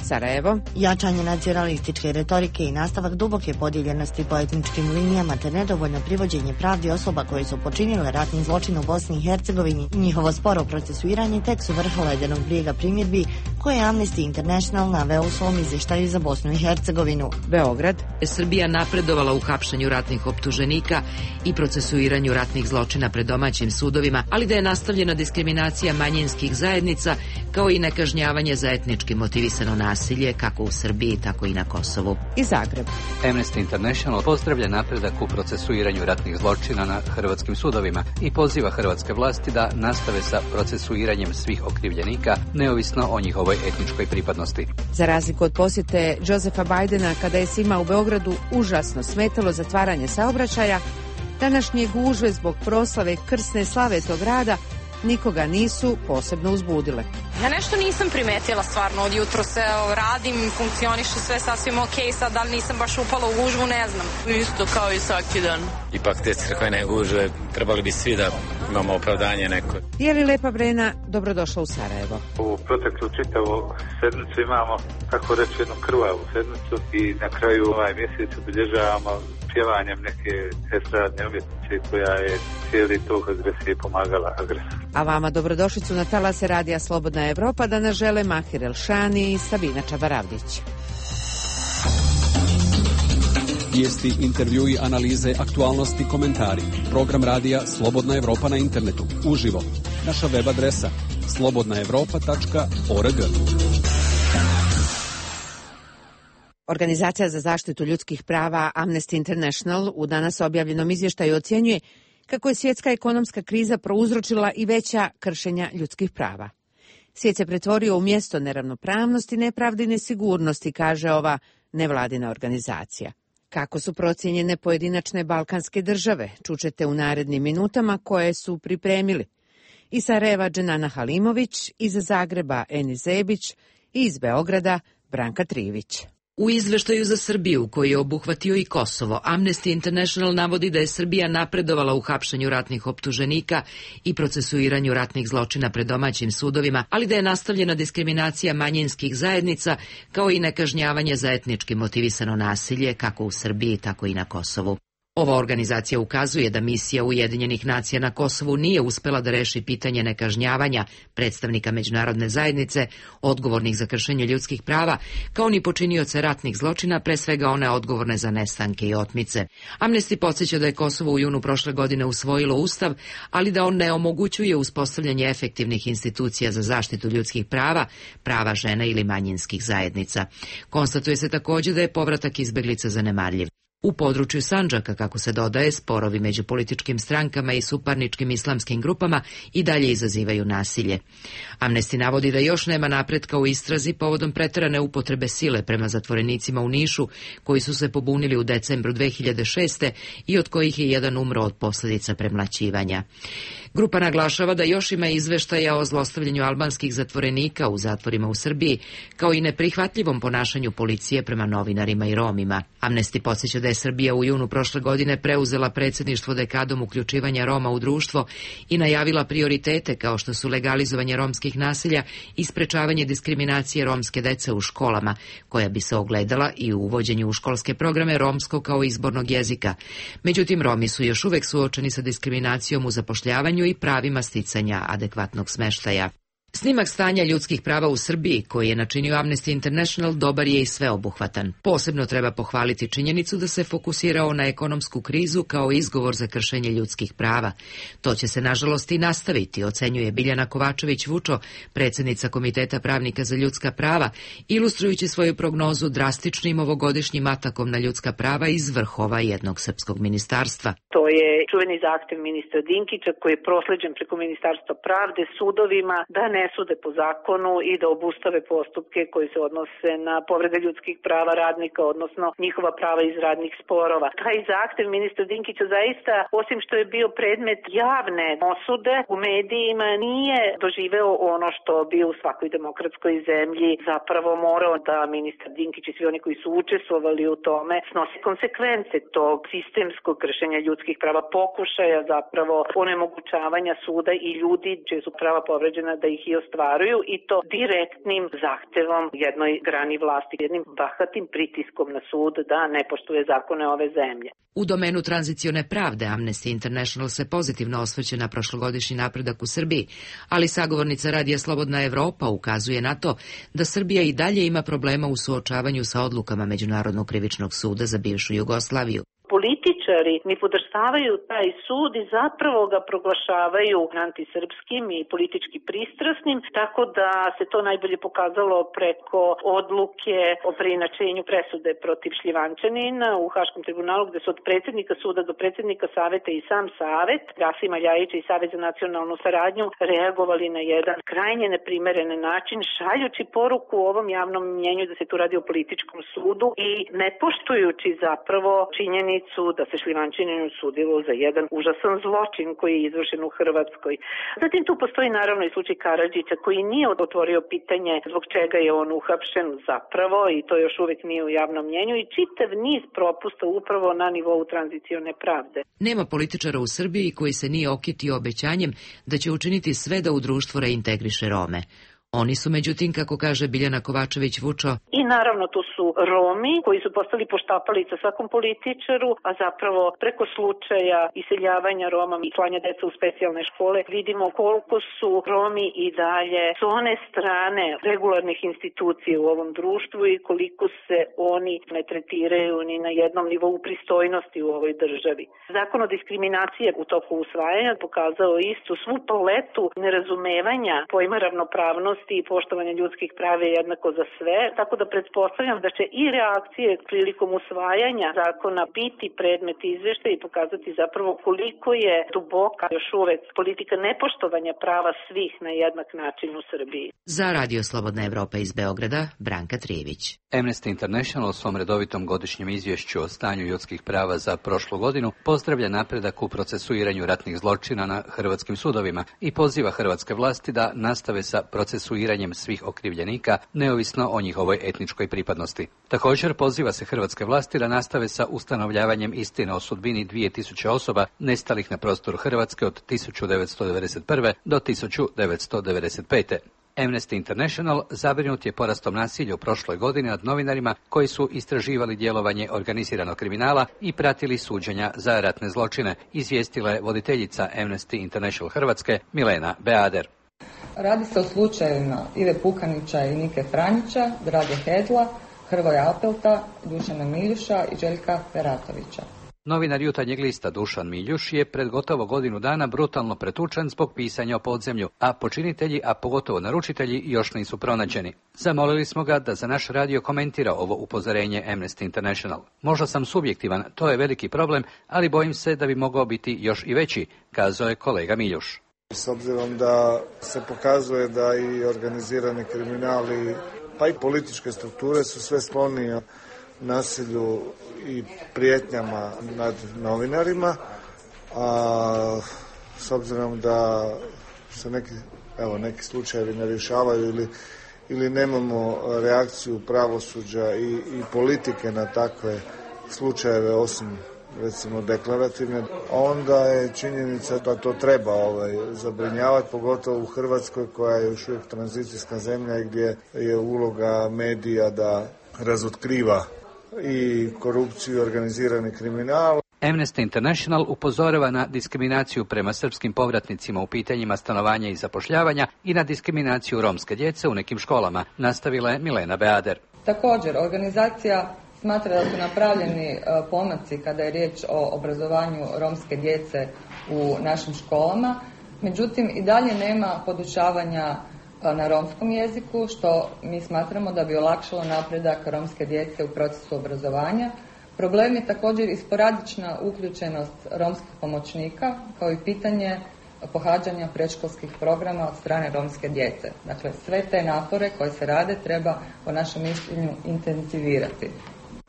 Sarajevo. Jačanje nacionalističke retorike i nastavak duboke podijeljenosti po etničkim linijama te nedovoljno privođenje pravdi osoba koje su počinile ratni zločin u Bosni i Hercegovini i njihovo sporo procesuiranje tek su vrh ledenog brijega primjedbi koje je Amnesty International naveo u svom izvještaju za Bosnu i Hercegovinu. Beograd. Srbija napredovala u hapšenju ratnih optuženika i procesuiranju ratnih zločina pred domaćim sudovima, ali da je nastavljena diskriminacija manjinskih zajednica kao i nekažnjavanje za etnički motivisano nasilje kako u Srbiji, tako i na Kosovu. I Zagreb. Amnesty International pozdravlja napredak u procesuiranju ratnih zločina na hrvatskim sudovima i poziva hrvatske vlasti da nastave sa procesuiranjem svih okrivljenika, neovisno o njihovoj etničkoj pripadnosti. Za razliku od posjete Josefa Bidena kada je svima u Beogradu užasno smetalo zatvaranje saobraćaja, današnje gužve zbog proslave krsne slave tog grada nikoga nisu posebno uzbudile. Ja nešto nisam primetila stvarno, od jutro se radim, funkcioniše sve sasvim ok, sad da li nisam baš upala u gužvu, ne znam. Isto kao i svaki dan. Ipak te crkvene gužve trebali bi svi da imamo opravdanje neko. Je li Lepa Brena dobrodošla u Sarajevo? U proteklu čitavu sedmicu imamo, tako reći, jednu krvavu sedmicu i na kraju ovaj mjesec obilježavamo pjevanjem neke estradne umjetnice koja je cijeli tog agresije pomagala agresoru. A vama dobrodošlicu na talase Radija Slobodna Evropa da nas žele Mahir Elšani i Sabina Čabaravdić. Vijesti, intervjui, analize, aktualnosti, komentari. Program radija Slobodna Evropa na internetu. Uživo. Naša web adresa slobodna evropa tačka org. Organizacija za zaštitu ljudskih prava Amnesty International u danas objavljenom izvještaju ocjenjuje kako je svjetska ekonomska kriza prouzročila i veća kršenja ljudskih prava. Svijet se pretvorio u mjesto neravnopravnosti, nepravde i nesigurnosti, kaže ova nevladina organizacija. Kako su procijenjene pojedinačne balkanske države, čućete u narednim minutama koje su pripremili. Iz Sarajeva Dženana Halimović, iz Zagreba Eni Zebić i iz Beograda Branka Trivić. U izveštaju za Srbiju, koji je obuhvatio i Kosovo, Amnesty International navodi da je Srbija napredovala u hapšenju ratnih optuženika i procesuiranju ratnih zločina pred domaćim sudovima, ali da je nastavljena diskriminacija manjinskih zajednica kao i nekažnjavanje za etnički motivisano nasilje kako u Srbiji, tako i na Kosovu. Ova organizacija ukazuje da misija Ujedinjenih nacija na Kosovu nije uspela da reši pitanje nekažnjavanja predstavnika međunarodne zajednice, odgovornih za kršenje ljudskih prava, kao ni počinioce ratnih zločina, pre svega one odgovorne za nestanke i otmice. Amnesty podsjeća da je Kosovo u junu prošle godine usvojilo ustav, ali da on ne omogućuje uspostavljanje efektivnih institucija za zaštitu ljudskih prava, prava žena ili manjinskih zajednica. Konstatuje se također da je povratak izbeglica zanemarljiv. U području Sandžaka, kako se dodaje, sporovi među političkim strankama i suparničkim islamskim grupama i dalje izazivaju nasilje. Amnesty navodi da još nema napretka u istrazi povodom preterane upotrebe sile prema zatvorenicima u Nišu, koji su se pobunili u decembru dve hiljade šeste i od kojih je jedan umro od posljedica premlaćivanja. Grupa naglašava da još ima izveštaja o zlostavljanju albanskih zatvorenika u zatvorima u Srbiji, kao i neprihvatljivom ponašanju policije prema novinarima i Romima. Amnesty podsjeća da je Srbija u junu prošle godine preuzela predsjedništvo dekadom uključivanja Roma u društvo i najavila prioritete kao što su legalizovanje romskih nasilja i sprečavanje diskriminacije romske dece u školama, koja bi se ogledala i u uvođenju u školske programe romskog kao izbornog jezika. Međutim, Romi su još uvek suočeni sa diskriminacijom u zapošljavanju i pravima sticanja adekvatnog smeštaja. Snimak stanja ljudskih prava u Srbiji, koji je načinio Amnesty International, dobar je i sveobuhvatan. Posebno treba pohvaliti činjenicu da se fokusirao na ekonomsku krizu kao izgovor za kršenje ljudskih prava. To će se, nažalost, i nastaviti, ocenjuje Biljana Kovačević-Vučo, predsjednica Komiteta pravnika za ljudska prava, ilustrujući svoju prognozu drastičnim ovogodišnjim atakom na ljudska prava iz vrhova jednog srpskog ministarstva. To je čuveni zahtev ministra Dinkića koji je prosleđen preko Ministarstva pravde sudovima da ne ne sude po zakonu i da obustave postupke koji se odnose na povrede ljudskih prava radnika, odnosno njihova prava iz radnih sporova. Taj zahtev ministra Dinkića zaista, osim što je bio predmet javne osude u medijima, nije doživeo ono što bi u svakoj demokratskoj zemlji zapravo morao da ministar Dinkić i svi oni koji su učestvovali u tome snosi konsekvence tog sistemskog kršenja ljudskih prava, pokušaja zapravo onemogućavanja suda i ljudi čije su prava povređena da ih i ostvaruju, i to direktnim zahtevom jednoj grani vlasti, jednim bahatim pritiskom na sud da ne poštuje zakone ove zemlje. U domenu tranzicione pravde Amnesty International se pozitivno osvrće na prošlogodišnji napredak u Srbiji, ali sagovornica Radija Slobodna Evropa ukazuje na to da Srbija i dalje ima problema u suočavanju sa odlukama Međunarodnog krivičnog suda za bivšu Jugoslaviju. Političari ni podrštavaju taj sud i zapravo ga proglašavaju antisrpskim i politički pristrasnim, tako da se to najbolje pokazalo preko odluke o preinačenju presude protiv Šljivančanina u Haškom tribunalu, gde su od predsjednika suda do predsjednika saveta i sam savet, Rasima Ljajića i Savet za nacionalnu saradnju, reagovali na jedan krajnje neprimeren način, šaljući poruku u ovom javnom mnjenju da se tu radi o političkom sudu i ne poštujući zapravo činjenicu da se Šljivančaninu sudilo za jedan užasan zločin koji je izvršen u Hrvatskoj. Zatim tu postoji naravno i slučaj Karadžića koji nije otvorio pitanje zbog čega je on uhapšen zapravo, i to još uvijek nije u javnom mnjenju, i čitav niz propusta upravo na nivou tranzicione pravde. Nema političara u Srbiji koji se nije okitio obećanjem da će učiniti sve da u društvo reintegriše Rome. Oni su, međutim, kako kaže Biljana Kovačević-Vučo, i naravno tu su Romi koji su postali poštapalica svakom političaru, a zapravo preko slučaja iseljavanja Roma i slanja deca u specijalne škole vidimo koliko su Romi i dalje s one strane regularnih institucija u ovom društvu i koliko se oni ne tretiraju ni na jednom nivou pristojnosti u ovoj državi. Zakon o diskriminaciji u toku usvajanja pokazao istu svu paletu nerazumevanja pojma ravnopravnosti i poštovanje ljudskih prava je jednako za sve, tako da pretpostavljam da će i reakcije prilikom usvajanja zakona biti predmet izveštaja i pokazati zapravo koliko je duboka još uvek politika nepoštovanja prava svih na jednak način u Srbiji. Za Radio Slobodna Evropa iz Beograda, Branka Trijević. Amnesty International u svom redovitom godišnjem izvješću o stanju ljudskih prava za prošlu godinu pozdravlja napredak u procesuiranju ratnih zločina na hrvatskim sudovima i poziva hrvatske vlasti da nastave sa procesuiranjem svih okrivljenika, neovisno o njihovoj etničkoj pripadnosti. Također poziva se hrvatske vlasti da nastave sa ustanovljavanjem istine o sudbini dvije tisuće osoba nestalih na prostoru Hrvatske od tisuću devetsto devedeset prve. do tisuću devetsto devedeset pete. Amnesty International zabrinut je porastom nasilja u prošloj godini nad novinarima koji su istraživali djelovanje organiziranog kriminala i pratili suđenja za ratne zločine, izvijestila je voditeljica Amnesty International Hrvatske Milena Beader. Radi se o slučajevima Ive Pukanića i Nike Franjića, Drage Hedla, Hrvoja Apelta, Dušana Miljuša i Željka Peratovića. Novinar Jutarnjeg lista Dušan Miljuš je pred gotovo godinu dana brutalno pretučen zbog pisanja o podzemlju, a počinitelji, a pogotovo naručitelji, još nisu pronađeni. Zamolili smo ga da za naš radio komentira ovo upozorenje Amnesty International. Možda sam subjektivan, to je veliki problem, ali bojim se da bi mogao biti još i veći, kazao je kolega Miljuš. S obzirom da se pokazuje da i organizirani kriminali, pa i političke strukture su sve sklonije nasilju i prijetnjama nad novinarima, a s obzirom da se neki, evo, neki slučajevi ne rješavaju ili, ili nemamo reakciju pravosuđa i, i politike na takve slučajeve osim recimo deklarativne, onda je činjenica da to treba ovaj, zabrinjavati, pogotovo u Hrvatskoj koja je još uvijek tranzicijska zemlja i gdje je uloga medija da razotkriva i korupciju i organizirani kriminal. Amnesty International upozorava na diskriminaciju prema srpskim povratnicima u pitanjima stanovanja i zapošljavanja i na diskriminaciju romske djece u nekim školama, nastavila je Milena Beader. Također, organizacija smatra da su napravljeni pomaci kada je riječ o obrazovanju romske djece u našim školama, međutim i dalje nema podučavanja na romskom jeziku, što mi smatramo da bi olakšalo napredak romske djece u procesu obrazovanja. Problem je također i sporadična uključenost romskih pomoćnika, kao i pitanje pohađanja predškolskih programa od strane romske djece. Dakle, sve te napore koje se rade treba po našem mišljenju intenzivirati.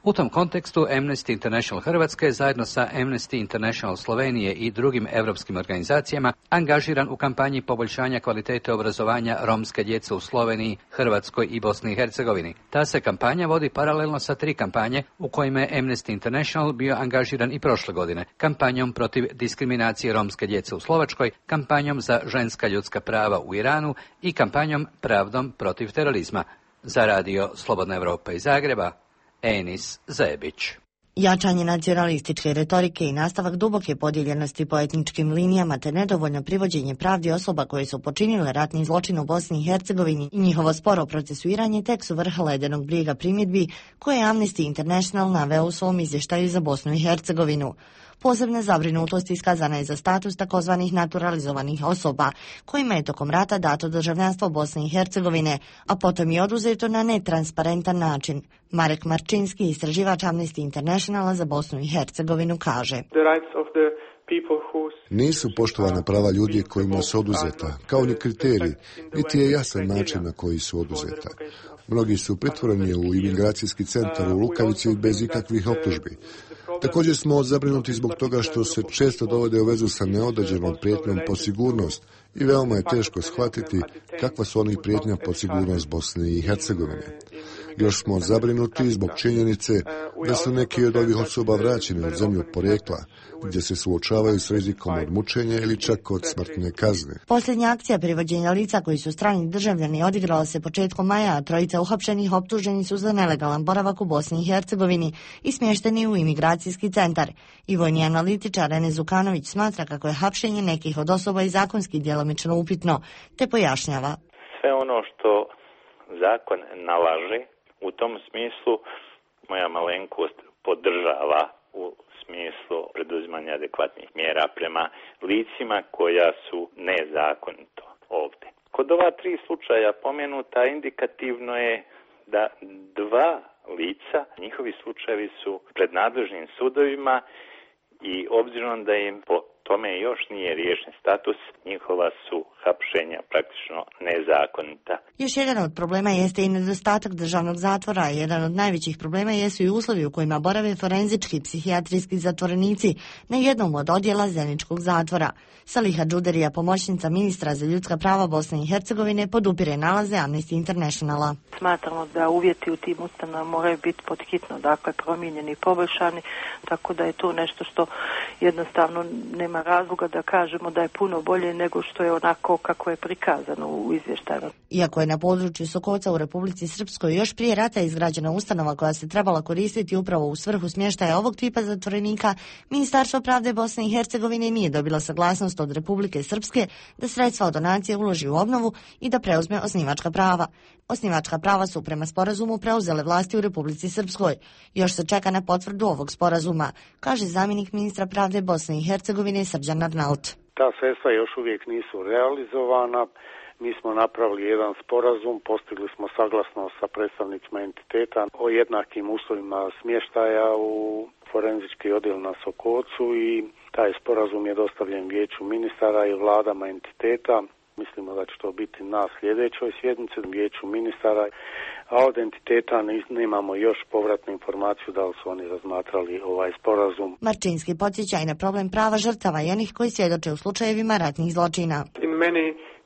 U tom kontekstu Amnesty International Hrvatske zajedno sa Amnesty International Slovenije i drugim europskim organizacijama angažiran u kampanji poboljšanja kvalitete obrazovanja romske djece u Sloveniji, Hrvatskoj i Bosni i Hercegovini. Ta se kampanja vodi paralelno sa tri kampanje u kojima je Amnesty International bio angažiran i prošle godine. Kampanjom protiv diskriminacije romske djece u Slovačkoj, kampanjom za ženska ljudska prava u Iranu i kampanjom Pravdom protiv terorizma. Za radio Slobodna Evropa iz Zagreba, Enis Zebić. Jačanje nacionalističke retorike i nastavak duboke podijeljenosti po etničkim linijama te nedovoljno privođenje pravdi osoba koje su počinile ratni zločin u Bosni i Hercegovini i njihovo sporo procesuiranje tek su vrh ledenog brijega primjedbi koje je Amnesty International naveo u svom izvještaju za Bosnu i Hercegovinu. Posebna zabrinutost iskazana je za status takozvanih naturalizovanih osoba, kojima je tokom rata dato državljanstvo Bosne i Hercegovine, a potom je oduzeto na netransparentan način. Marek Marčinski, istraživač Amnesty Internationala za Bosnu i Hercegovinu, kaže: Nisu poštovana prava ljudi kojima su oduzeta, kao ni kriteriji, niti je jasan način na koji su oduzeta. Mnogi su pritvoreni u imigracijski centar u Lukavici bez ikakvih optužbi. Također smo zabrinuti zbog toga što se često dovode u vezu sa neodređenom prijetnjom po sigurnost i veoma je teško shvatiti kakva su oni prijetnja po sigurnost Bosne i Hercegovine. Još smo zabrinuti zbog činjenice da su neki od ovih osoba vraćeni u zemlju porijekla, gdje se suočavaju s rizikom od mučenja ili čak od smrtne kazne. Posljednja akcija privođenja lica koji su strani državljani odigrala se početkom maja, a trojica uhapšenih optuženi su za nelegalan boravak u Bosni i Hercegovini i smješteni u imigracijski centar. I vojni analitičar Rene Zukanović smatra kako je hapšenje nekih od osoba i zakonski djelomično upitno, te pojašnjava: Sve ono što zakon nalaže, u tom smislu moja malenkost podržava u smislu preduzimanja adekvatnih mjera prema licima koja su nezakonito ovdje. Kod ova tri slučaja pomenuta indikativno je da dva lica, njihovi slučajevi su pred nadležnim sudovima i obzirom da im po tome još nije riješen status, njihova su hapšenja praktično nezakonita. Još jedan od problema jeste i nedostatak državnog zatvora, a jedan od najvećih problema jesu i uslovi u kojima borave forenzički i psihijatrijski zatvorenici na jednom od odjela Zeničkog zatvora. Saliha Džuderija, pomoćnica ministra za ljudska prava Bosne i Hercegovine, podupire nalaze Amnesty Internationala. Smatramo da uvjeti u tim ustanovama moraju biti podhitno, dakle promijenjeni i poboljšani, tako da je to nešto što jednostavno nema razloga da kažemo da je puno bolje nego što je onako kako je prikazano u izvještaju. Iako je na području Sokoca u Republici Srpskoj još prije rata izgrađena ustanova koja se trebala koristiti upravo u svrhu smještaja ovog tipa zatvorenika, Ministarstvo pravde Bosne i Hercegovine nije dobilo saglasnost od Republike Srpske da sredstva od donacije uloži u obnovu i da preuzme osnivačka prava. Osnivačka prava su prema sporazumu preuzele vlasti u Republici Srpskoj. Još se čeka na potvrdu ovog sporazuma, kaže zamjenik ministra pravde Bosne i Hercegovine Srđan Arnaut. Ta sredstva još uvijek nisu realizovana. Mi smo napravili jedan sporazum, postigli smo saglasnost sa predstavnicima entiteta o jednakim uslovima smještaja u forenzički odjel na Sokocu i taj sporazum je dostavljen vijeću ministara i vladama entiteta. Mislimo da će to biti na sljedećoj sjednici vijeću ministara, a od entiteta nemamo još povratnu informaciju da li su oni razmatrali ovaj sporazum. Marčinski podsjeća i na problem prava žrtava i onih koji svjedoče u slučajevima ratnih zločina. In many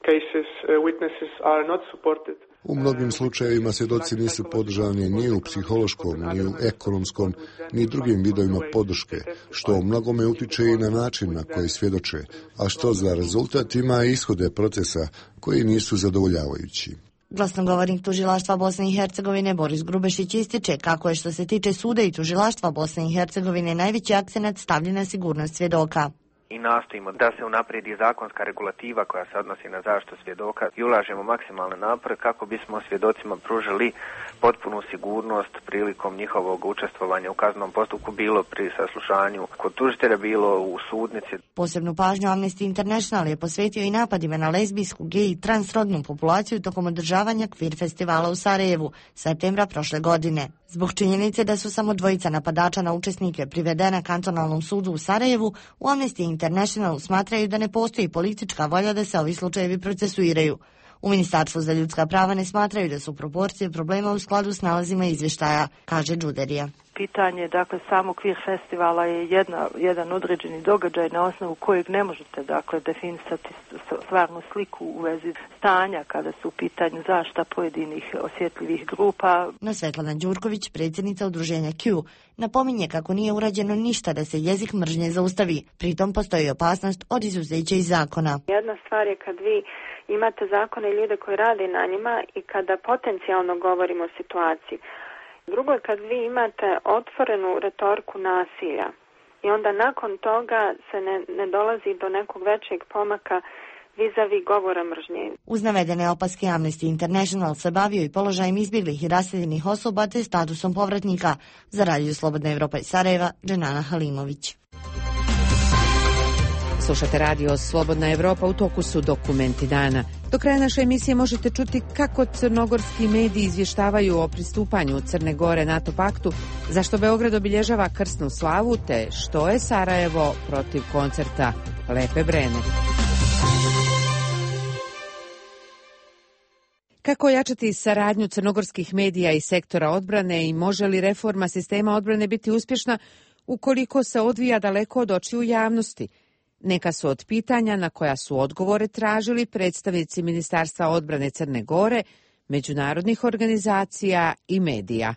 cases, uh, witnesses are not supported. U mnogim slučajevima svjedoci nisu podržani ni u psihološkom, ni u ekonomskom, ni drugim vidovima podrške, što u mnogome utiče i na način na koji svjedoče, a što za rezultat ima ishode procesa koji nisu zadovoljavajući. Glasnogovornik tužilaštva Bosne i Hercegovine Boris Grubešić ističe kako je što se tiče suda i tužilaštva Bosne i Hercegovine najveći akcenat stavljen na sigurnost svjedoka. I nastojimo da se unaprijedi zakonska regulativa koja se odnosi na zaštitu svjedoka i ulažemo maksimalne napore kako bismo svjedocima pružili potpunu sigurnost prilikom njihovog učestvovanja u kaznenom postupku, bilo pri saslušanju kod tužitelja, bilo u sudnici. Posebnu pažnju Amnesty International je posvetio i napadima na lezbijsku, gej i transrodnu populaciju tokom održavanja Kvir festivala u Sarajevu, septembra prošle godine. Zbog činjenice da su samo dvojica napadača na učesnike privedena kantonalnom sudu u Sarajevu, u Amnesty International smatraju da ne postoji politička volja da se ovi slučajevi procesuiraju. U Ministarstvu za ljudska prava ne smatraju da su proporcije problema u skladu s nalazima izvještaja, kaže Đuderija. Pitanje, dakle, samog Queer festivala je jedna, jedan određeni događaj na osnovu kojeg ne možete, dakle, definisati stvarnu sliku u vezi stanja kada su u pitanju zaštita pojedinih osjetljivih grupa. No Svetlana Đurković, predsjednica udruženja Q, napominje kako nije urađeno ništa da se jezik mržnje zaustavi. Pritom postoji opasnost od izuzeća iz zakona. Jedna stvar je kad vi imate zakone i ljude koji rade na njima i kada potencijalno govorimo o situaciji. Drugo je kad vi imate otvorenu retoriku nasilja i onda nakon toga se ne, ne dolazi do nekog većeg pomaka vis-a-vis govora mržnje. Uz navedene opaske Amnesty International se bavio i položajem izbjeglih i raseljenih osoba te statusom povratnika. Za Radio Slobodna Evropa iz Sarajeva, Dženana Halimović. Slušate Radio Slobodna Evropa, u toku su dokumenti dana. Do kraja naše emisije možete čuti kako crnogorski mediji izvještavaju o pristupanju Crne Gore NATO paktu, zašto Beograd obilježava krsnu slavu, te što je Sarajevo protiv koncerta Lepe Brene. Kako ojačati saradnju crnogorskih medija i sektora odbrane i može li reforma sistema odbrane biti uspješna ukoliko se odvija daleko od očiju javnosti? Neka su od pitanja na koja su odgovore tražili predstavnici Ministarstva odbrane Crne Gore, međunarodnih organizacija i medija.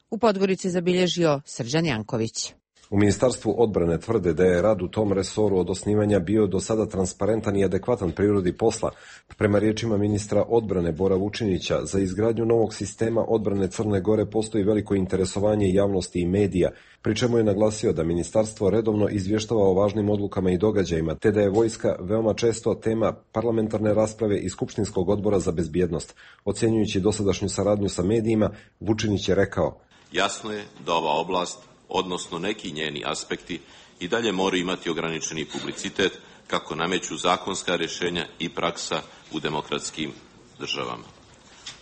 U Podgorici zabilježio Srđan Janković. U Ministarstvu odbrane tvrde da je rad u tom resoru od osnivanja bio do sada transparentan i adekvatan prirodi posla. Prema riječima ministra odbrane Bora Vučinića, za izgradnju novog sistema odbrane Crne Gore postoji veliko interesovanje javnosti i medija, pri čemu je naglasio da ministarstvo redovno izvještava o važnim odlukama i događajima, te da je vojska veoma često tema parlamentarne rasprave i Skupštinskog odbora za bezbjednost. Ocjenjujući dosadašnju saradnju sa medijima, Vučinić je rekao: Jasno je da ova oblast, odnosno neki njeni aspekti, i dalje moraju imati ograničeni publicitet kako nameću zakonska rješenja i praksa u demokratskim državama.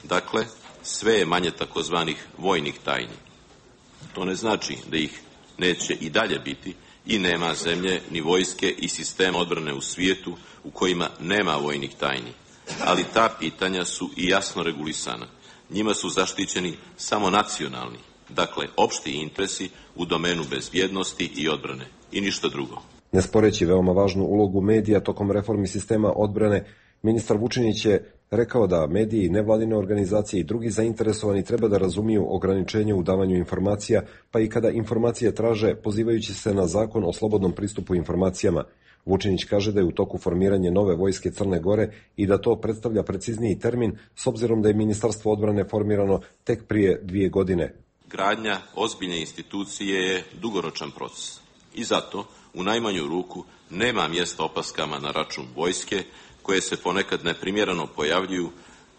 Dakle, sve je manje takozvanih vojnih tajni. To ne znači da ih neće i dalje biti i nema zemlje ni vojske i sistema odbrane u svijetu u kojima nema vojnih tajni. Ali ta pitanja su i jasno regulisana. Njima su zaštićeni samo nacionalni, dakle opšti interesi u domenu bezbjednosti i odbrane i ništa drugo. Ne sporeći veoma važnu ulogu medija tokom reformi sistema odbrane, ministar Vučinić je rekao da mediji, nevladine organizacije i drugi zainteresovani treba da razumiju ograničenje u davanju informacija, pa i kada informacije traže pozivajući se na zakon o slobodnom pristupu informacijama. Vučinić kaže da je u toku formiranje nove vojske Crne Gore i da to predstavlja precizniji termin s obzirom da je Ministarstvo odbrane formirano tek prije dvije godine. Gradnja ozbiljne institucije je dugoročan proces i zato u najmanju ruku nema mjesta opaskama na račun vojske koje se ponekad neprimjereno pojavljuju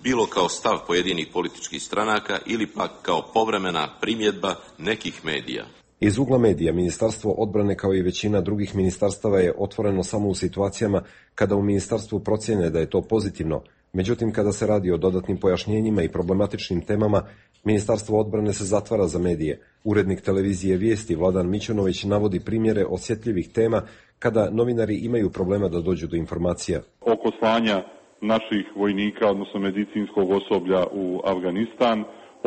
bilo kao stav pojedinih političkih stranaka ili pak kao povremena primjedba nekih medija. Iz ugla medija, Ministarstvo odbrane kao i većina drugih ministarstava je otvoreno samo u situacijama kada u ministarstvu procjene da je to pozitivno. Međutim, kada se radi o dodatnim pojašnjenjima i problematičnim temama, Ministarstvo odbrane se zatvara za medije. Urednik televizije Vijesti Vladan Mićunović navodi primjere osjetljivih tema kada novinari imaju problema da dođu do informacija. Oko slanja naših vojnika, odnosno medicinskog osoblja u Afganistan,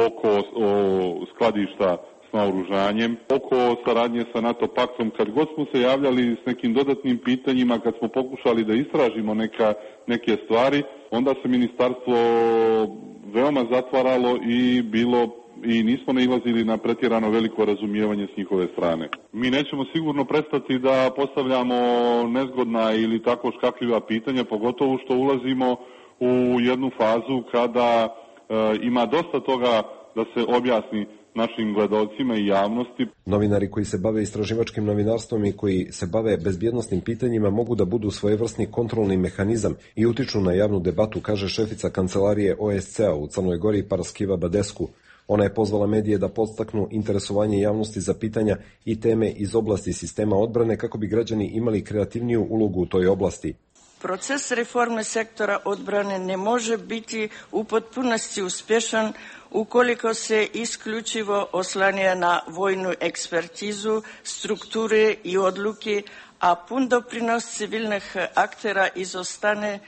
oko o, skladišta s naoružanjem, oko saradnje sa NATO paktom, kad god smo se javljali s nekim dodatnim pitanjima, kad smo pokušali da istražimo neka, neke stvari, onda se ministarstvo veoma zatvaralo i bilo i nismo nailazili na pretjerano veliko razumijevanje s njihove strane. Mi nećemo sigurno prestati da postavljamo nezgodna ili tako škakljiva pitanja, pogotovo što ulazimo u jednu fazu kada e, ima dosta toga da se objasni našim gledalcima i javnosti. Novinari koji se bave istraživačkim novinarstvom i koji se bave bezbjednosnim pitanjima mogu da budu svojevrsni kontrolni mehanizam i utiču na javnu debatu, kaže šefica kancelarije O S C-a u Crnoj Gori Paraskiva Badesku. Ona je pozvala medije da podstaknu interesovanje javnosti za pitanja i teme iz oblasti sistema odbrane kako bi građani imali kreativniju ulogu u toj oblasti. Proces reforme sektora odbrane ne može biti u potpunosti uspješan ukoliko se isključivo oslanja na vojnu ekspertizu, strukture i odluke, a pun doprinos civilnih aktera izostane.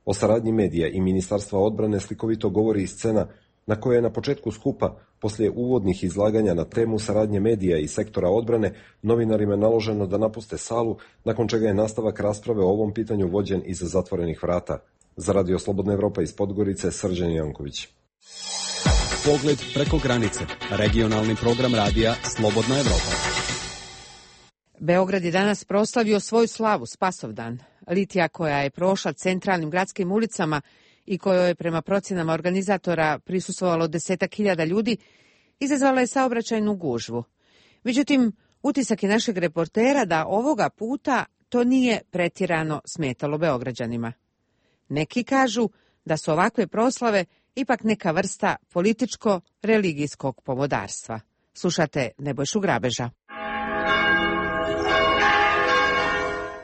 O saradnji medija i Ministarstva odbrane slikovito govori i scena na kojoj je na početku skupa, poslije uvodnih izlaganja na temu saradnje medija i sektora odbrane, novinarima naloženo da napuste salu, nakon čega je nastavak rasprave o ovom pitanju vođen iza zatvorenih vrata. Za Radio Slobodna Evropa iz Podgorice, Srđan Janković. Pogled preko granice. Regionalni program radija Slobodna Evropa. Beograd je danas proslavio svoju slavu, Spasovdan. Litija koja je prošla centralnim gradskim ulicama i kojoj je prema procjenama organizatora prisustvovalo desetak hiljada ljudi, izazvala je saobraćajnu gužvu. Međutim, utisak je našeg reportera da ovoga puta to nije pretjerano smetalo Beograđanima. Neki kažu da su ovakve proslave ipak neka vrsta političko-religijskog pomodarstva. Slušate Nebojšu Grabeža.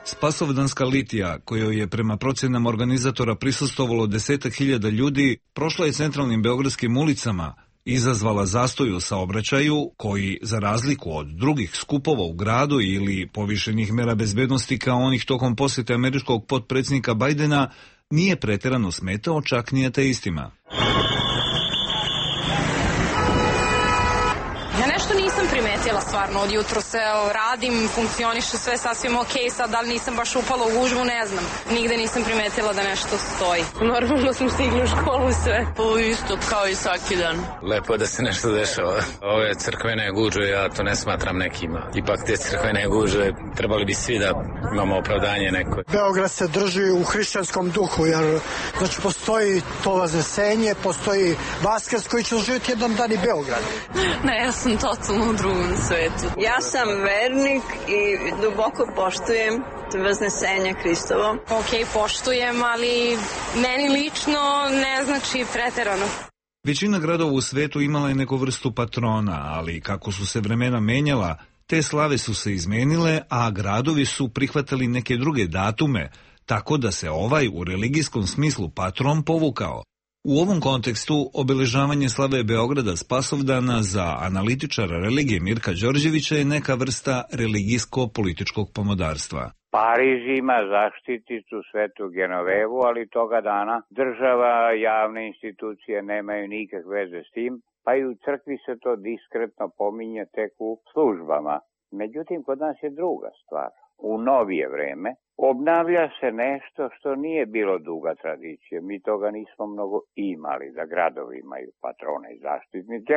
Spasovdanska litija, kojoj je prema procjenama organizatora prisustvovalo desetak hiljada ljudi, prošla je centralnim beogradskim ulicama, izazvala zastoj u saobraćaju koji, za razliku od drugih skupova u gradu ili povišenih mera bezbednosti kao onih tokom posjete američkog potpredsjednika Bajdena, nije pretjerano smetao čak ni ateistima. Ja nešto nisam primetila stvarno od jutro se radim, funkcioniše sve sasvim ok, sad da li nisam baš upala u gužvu, ne znam. Nigde nisam primetila da nešto stoji. Normalno smo stigli u školu sve. Ovo isto kao i svaki dan. Lepo je da se nešto dešava. Ove crkvene gužve, ja to ne smatram nekima. Ipak te crkvene gužve trebali bi svi da imamo opravdanje neko. Beograd se drži u hrišćanskom duhu, jer znači postoji to vaznesenje, postoji Vaskrs koji će živjeti jedan dan i Beograd. Ne, ja sam totalno u drugom svetu. Ja sam vernik i duboko poštujem Vaznesenje Hristovo. Ok, poštujem, ali meni lično ne znači preterano. Većina gradova u svetu imala je neku vrstu patrona, ali kako su se vremena menjala, te slave su se izmenile, a gradovi su prihvatili neke druge datume, tako da se ovaj u religijskom smislu patron povukao. U ovom kontekstu obeležavanje slave Beograda Spasovdana za analitičara religije Mirka Đorđevića je neka vrsta religijsko-političkog pomodarstva. Pariz ima zaštiticu Svetu Genovevu, ali toga dana država, javne institucije nemaju nikakve veze s tim, pa i u crkvi se to diskretno pominje tek u službama. Međutim, kod nas je druga stvar. U novije vreme obnavlja se nešto što nije bilo duga tradicija. Mi toga nismo mnogo imali, da gradovi imaju patrone i zaštitnike.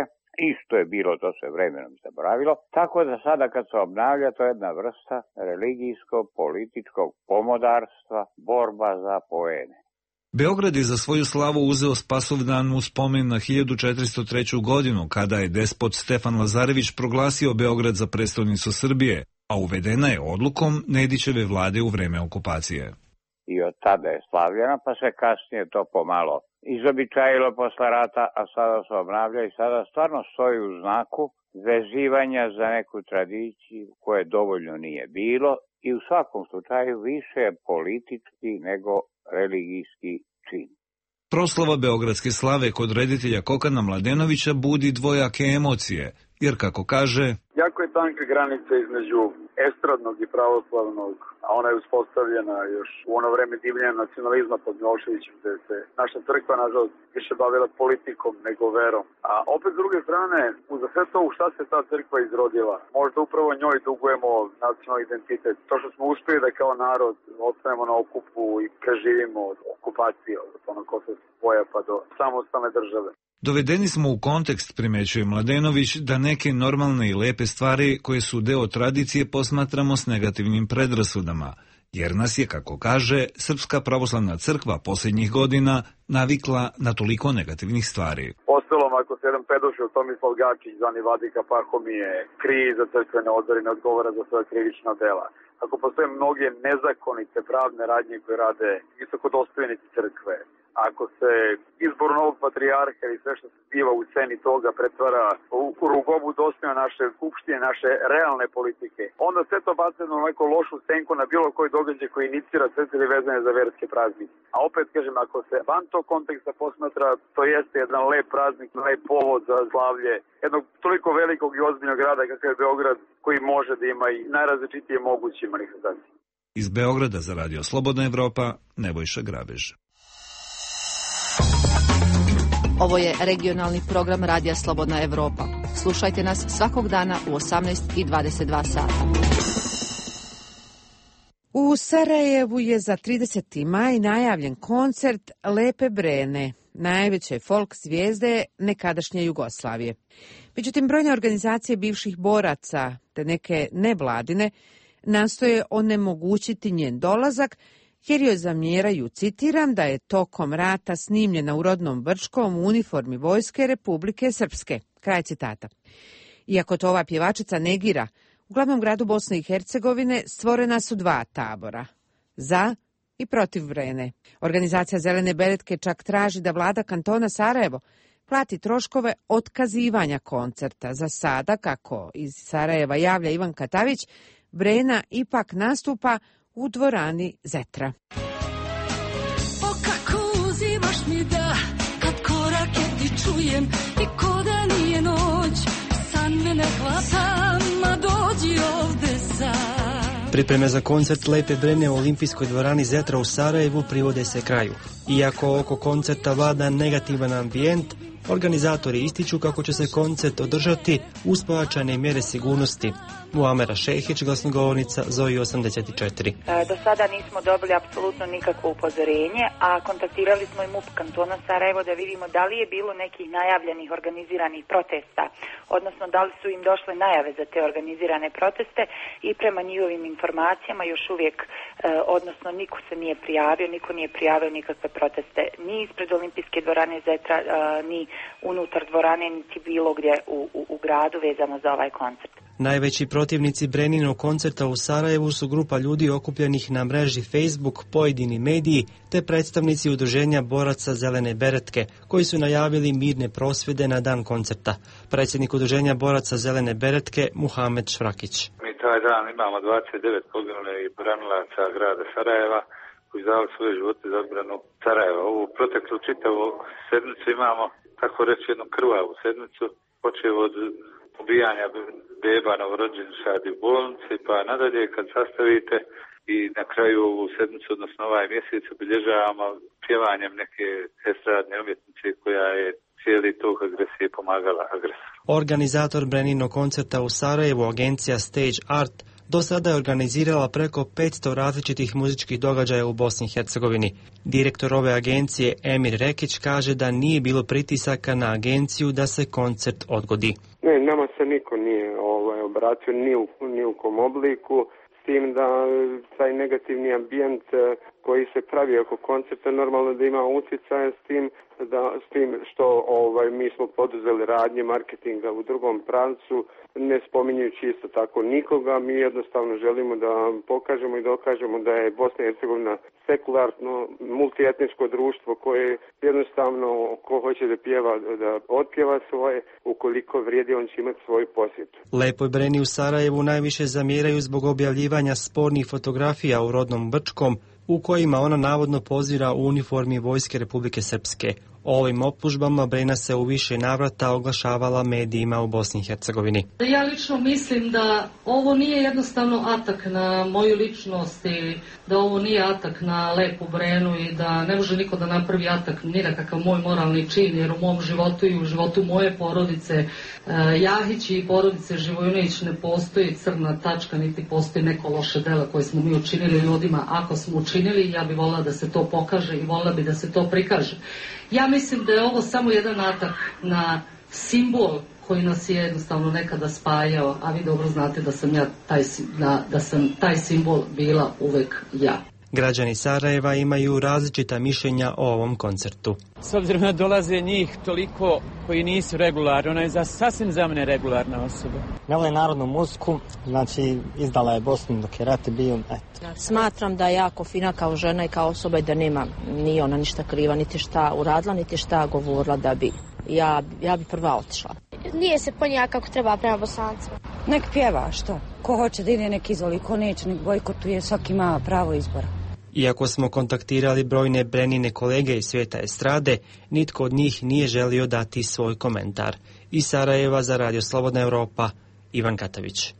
Isto je bilo, to se vremenom zaboravilo. Tako da sada kad se obnavlja, to je jedna vrsta religijsko-političkog pomodarstva, borba za poene. Beograd je za svoju slavu uzeo Spasovdan u spomen na hiljadu četiristo treću. godinu, kada je despot Stefan Lazarević proglasio Beograd za prestolnicu Srbije, a uvedena je odlukom Nedićeve vlade u vreme okupacije. I od tada je slavljena, pa se kasnije to pomalo izobičajilo posle rata, a sada se obnavlja i sada stvarno stoji u znaku vezivanja za neku tradiciju koje dovoljno nije bilo i u svakom slučaju više je politički nego religijski čin. Proslava beogradske slave kod reditelja Kokana Mladenovića budi dvojake emocije, jer kako kaže... Jako je tanka granica između estradnog i pravoslavnog, a ona je uspostavljena još u ono vreme divljenja nacionalizma pod Miloševićem, gde se naša crkva, nažalost, više bavila politikom nego verom. A opet s druge strane, uza sve to u šta se ta crkva izrodila, možda upravo njoj dugujemo nacionalni identitet. To što smo uspeli da kao narod ostanemo na okupu i preživimo od okupacije, od onog kosovskog boja pa do samostalne države. Dovedeni smo u kontekst, primećuje Mladenović, da neke normalne i lepe stvari koje su deo tradicije posmatramo s negativnim predrasudama, jer nas je, kako kaže, Srpska pravoslavna crkva posljednjih godina navikla na toliko negativnih stvari. Ostalom, ako se jedan pedošil Tomislav Gačić, zvani Vladika Pahomije, krije za crkvene odore i ne odgovara za svoje krivična dela, ako postoje mnoge nezakonite pravne radnje koje rade visokodostojnici crkve, ako se izbor novog patrijarha i sve što se zbiva u sceni toga pretvara u rugobu dostojna naše skupštine, naše realne politike, onda sve to baca na neku lošu senku na bilo koji događaj koji inicira sve ili vezane za verske praznike. A opet kažem, ako se van tog konteksta posmatra, to jeste jedan lep praznik, lep povod za slavlje jednog toliko velikog i ozbiljnog grada kakav je Beograd, koji može da ima i najrazličitije moguće manifestacije. Iz Beograda za Radio Slobodna Evropa, Nebojša Grabež. Ovo je regionalni program Radija Slobodna Evropa. Slušajte nas svakog dana u osamnaest i dvadeset dva sata. U Sarajevu je za trideseti maj najavljen koncert Lepe Brene, najveće folk zvijezde nekadašnje Jugoslavije. Međutim, brojne organizacije bivših boraca te neke nevladine nastoje onemogućiti njen dolazak, jer joj zamjeraju, citiram, da je tokom rata snimljena u rodnom Brčkom u uniformi Vojske Republike Srpske. Kraj citata. Iako to ova pjevačica negira, u glavnom gradu Bosne i Hercegovine stvorena su dva tabora, za i protiv Brene. Organizacija Zelene beretke čak traži da vlada kantona Sarajevo plati troškove otkazivanja koncerta. Za sada, kako iz Sarajeva javlja Ivan Katavić, Brena ipak nastupa u dvorani Zetra. O kako uzimaš mi da, kad korake ti čujem i ko da nije noć, san me ne hvata, ma dođi ovde sam. Pripreme za koncert Lepe Brene u olimpijskoj dvorani Zetra u Sarajevu privode se kraju. Iako oko koncerta vlada negativan ambijent, organizatori ističu kako će se koncert održati uz pojačane mjere sigurnosti. Muamera Šehić, glasnogovornica Zoji osamdeset četiri. E, do sada nismo dobili apsolutno nikakvo upozorenje, a kontaktirali smo i M U P kantona Sarajevo da vidimo da li je bilo nekih najavljenih organiziranih protesta, odnosno da li su im došle najave za te organizirane proteste i prema njihovim informacijama još uvijek, e, odnosno niko se nije prijavio, niko nije prijavio nikakve proteste ni ispred olimpijske dvorane Zetra, e, ni unutar dvorane, niti bilo gdje u, u, u gradu vezano za ovaj koncert. Najveći protivnici Breninog koncerta u Sarajevu su grupa ljudi okupljenih na mreži Facebook, pojedini mediji te predstavnici udruženja boraca Zelene beretke, koji su najavili mirne prosvjede na dan koncerta. Predsjednik udruženja boraca Zelene beretke Muhamed Švrakić. Mi taj dan imamo dvadeset devet poginulih branilaca grada Sarajeva koji dali svoje živote za odbranu Sarajeva. Ovu proteklu čitavu sedmicu imamo, tako reći, jednu krvavu sedmicu, počeo od ubijanja beba novorođenčadi u bolnici, pa nadalje kad sastavite i na kraju ovu sedmicu, odnosno ovaj mjesec, obilježavamo pjevanjem neke estradne umjetnice koja je cijeli tog agresije pomagala agresoru. Organizator Breninog koncerta u Sarajevu, agencija Stage Art, do sada je organizirala preko petsto različitih muzičkih događaja u Bosni i Hercegovini. Direktor ove agencije Emir Rekić kaže da nije bilo pritisaka na agenciju da se koncert odgodi. Ne, nama se niko nije ovaj, obratio ni u, ni u kom obliku, s tim da taj negativni ambijent koji se pravi oko koncerta normalno da ima utjecaja s tim, da, s tim što ovaj, mi smo poduzeli radnje marketinga u drugom pravcu, ne spominjujući isto tako nikoga. Mi jednostavno želimo da pokažemo i dokažemo da je Bosna i Hercegovina sekularno, multietničko društvo koje jednostavno ko hoće da pjeva, da otpjeva svoje, ukoliko vrijedi on će imati svoju posjetu. Lepoj Breni u Sarajevu najviše zamjeraju zbog objavljivanja spornih fotografija u rodnom Brčkom, u kojima ona navodno pozira u uniformi Vojske Republike Srpske. O ovim optužbama Brena se u više navrata oglašavala medijima u Bosni i Hercegovini. Ja lično mislim da ovo nije jednostavno atak na moju ličnost i da ovo nije atak na Lepu Brenu i da ne može niko da napravi atak ni na kakav moj moralni čin, jer u mom životu i u životu moje porodice eh, Jahić i porodice Živojinović ne postoji crna tačka, niti postoji neko loše delo koje smo mi učinili ljudima. Ako smo učinili, ja bih volila da se to pokaže i volila bi da se to prikaže. Ja mislim da je ovo samo jedan atak na simbol koji nas je jednostavno nekada spajao, a vi dobro znate da sam ja taj, da, da sam taj simbol bila uvek ja. Građani Sarajeva imaju različita mišljenja o ovom koncertu. S obzirom da dolaze njih toliko koji nisu regularni, ona je za, sasvim za mene regularna osoba. Ne vole narodnu muziku, znači izdala je Bosnu dok je rat bio. Eto. Smatram da je jako fina kao žena i kao osoba i da nema, nije ona ništa kriva, niti šta uradila, niti šta govorila da bi. Ja, ja bi prva otišla. Nije se ponija kako treba prema Bosancima. Nek pjeva, što? Ko hoće da ide, nek izvoli, ko neće, nek bojkotuje, svaki ima pravo izbora. Iako smo kontaktirali brojne Brenine kolege iz svijeta estrade, nitko od njih nije želio dati svoj komentar. Iz Sarajeva za Radio Slobodna Evropa, Ivan Katavić.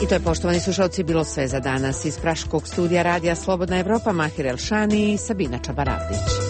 I to je, poštovani slušalci, bilo sve za danas. Iz praškog studija Radija Slobodna Evropa, Mahir Elšani i Sabina Čabaravlić.